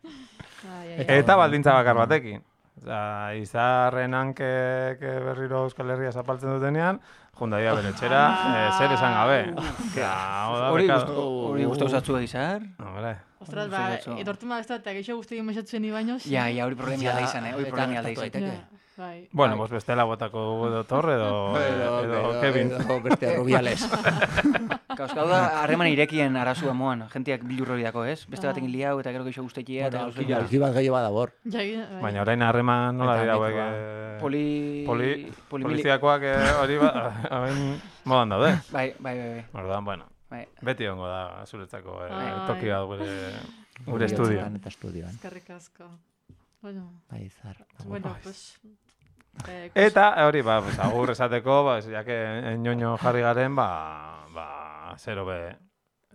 Ai, ai, ai. Eta baldintza bakar batekin. Oza, izarrenan ke, ke berriro Euskal Herria zapaltzen dutenean, jundaia bere txera, eh, zer esan gabe. Ja, oda, Hori bekado. gustu, hori gustu usatzu egizar? Hombre, Ostras, ba, Oso. etortu ma besta eta geixo guzti mesatzen ni baino. Ja, ja, hori problemi alda izan, eh? Hori eta problemi alda gertatu izan. daiteke. Bai. bueno, pues bestela botako dugu edo Torre edo, edo Kevin. Edo beste Rubiales. Kauz, gau da, harreman irekien arazua moan, jentiak bilur hori dako, ez? Beste batekin liau eta gero geixo guztekia eta... Bueno, alki bat gehiago badabor. Ja, bai. Baina orain harreman nola Eta dira hauek... mitoa. eh, Poli... Poli, Poli... poliziakoak eh, hori ba, orain modan daude. Bai, bai, bai, bai. Orduan, bueno, bai. beti ongo da zuretzako eh, Ai. toki bat gure, gure estudio. Eta estudioan. Eskerrik asko. Bueno, Bai, zar. bueno, pues... Eh, Eta hori, ba, pues, agur esateko, ba, ya que ñoño jarri garen, ba, ba, zero be,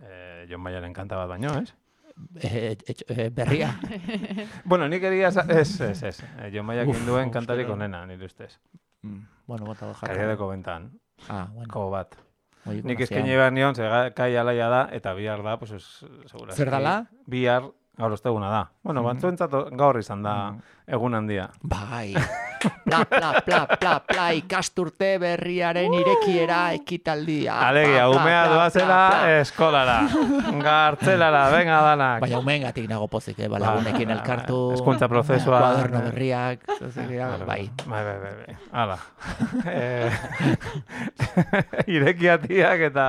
eh, Jon Maialen kanta bat baino, ez? Eh, eh, eh, berria. Bueno, nik egia, esa- ez, ez, ez. Eh, Jon Maiak Uf, induen uste kantarik dut. onena, nire ustez. Mm, bueno, bota jarra. Kariadeko bentan, Ah, bueno. ko bat. Hori Nik konozia. eskaini behar nion, ze ga- kai alaia da, eta bihar da, pues, es, segurazki. Zer dala? Bihar, gaur osteguna da. Bueno, Mhm. batzuentzat gaur izan da egun handia. Bai. Pla, pla, pla, pla, pla, ikasturte berriaren irekiera ekitaldia. Alegia, Pla, pla, umea pla, doazela pla, pla. eskolara. Gartzelara, venga danak. Baina umeengatik nago pozik, eh? Balagunekin Ba, elkartu. hezkuntza prozesua. Kuaderno berriak. Bai. Bai, bai, bai, bai. Hala. Eh, Irekiatiak eta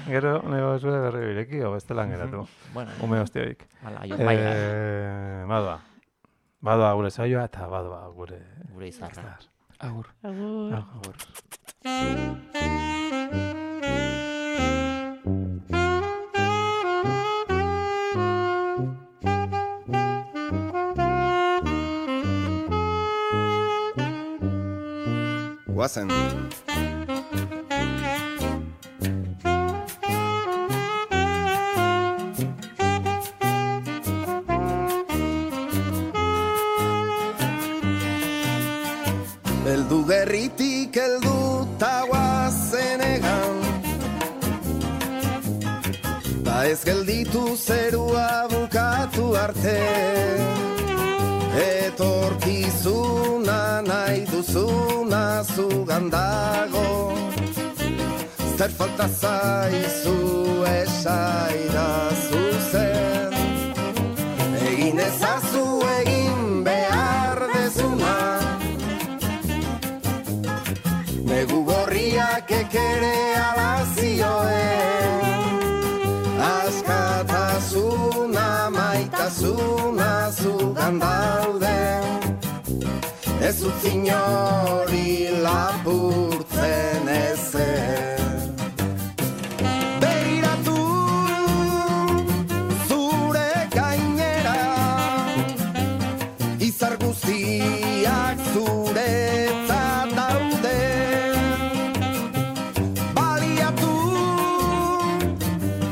gero nego zure berri ireki, o bestelan geratu. Bueno, Ume hostioik. hala, jo, bai, bai. Eh, badoa. Badoa gure saioa eta badoa gure... Gure izarra. Agur. Agur. Agur. Guazen. Beldu gerritik heldu ta guazen egan, ta ez gelditu zerua bukatu arte. Etorkizuna nahi duzuna zugan dago, zer falta zaizu esaidazu zer. Egin ezazu egin behar dezuna, negu gorriak ekere alazioen. Askatasuna, maitasuna zugan daude, ez utzi inori lapurtzen ezer. Begiratu zure gainera, izar guztiak zuretzat daude. Baliatu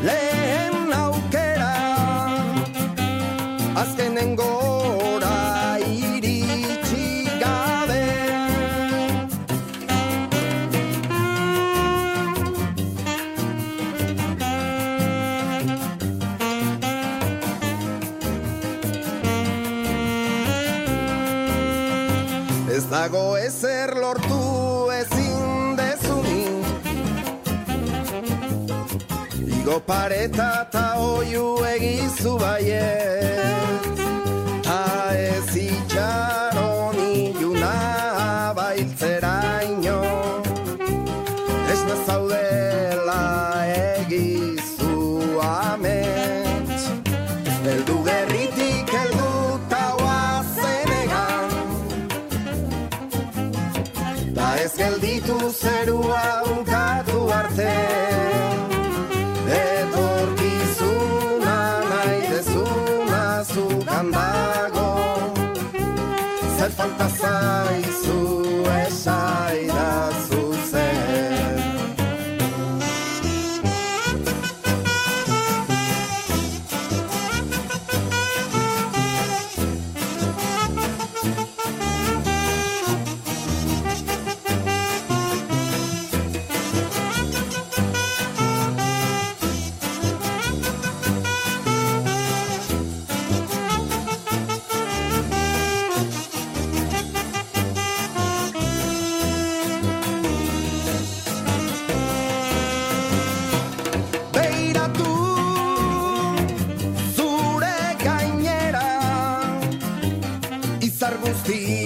lehen aukera, azkenen gora iritsi gabe. Ez dago ezer lortu ezin dezunik, igo pareta ta oiu egizu baiet, ta ez itxaron iluna bailtzeraino, ez nazaudela egizu amets. Heldu gerritik heldu ta oazen egan, ta ez gelditu zerua bukatu arte. Etorkizuna nahi dezuna zugan dago, zer falta zaizu esaidazu zer. Di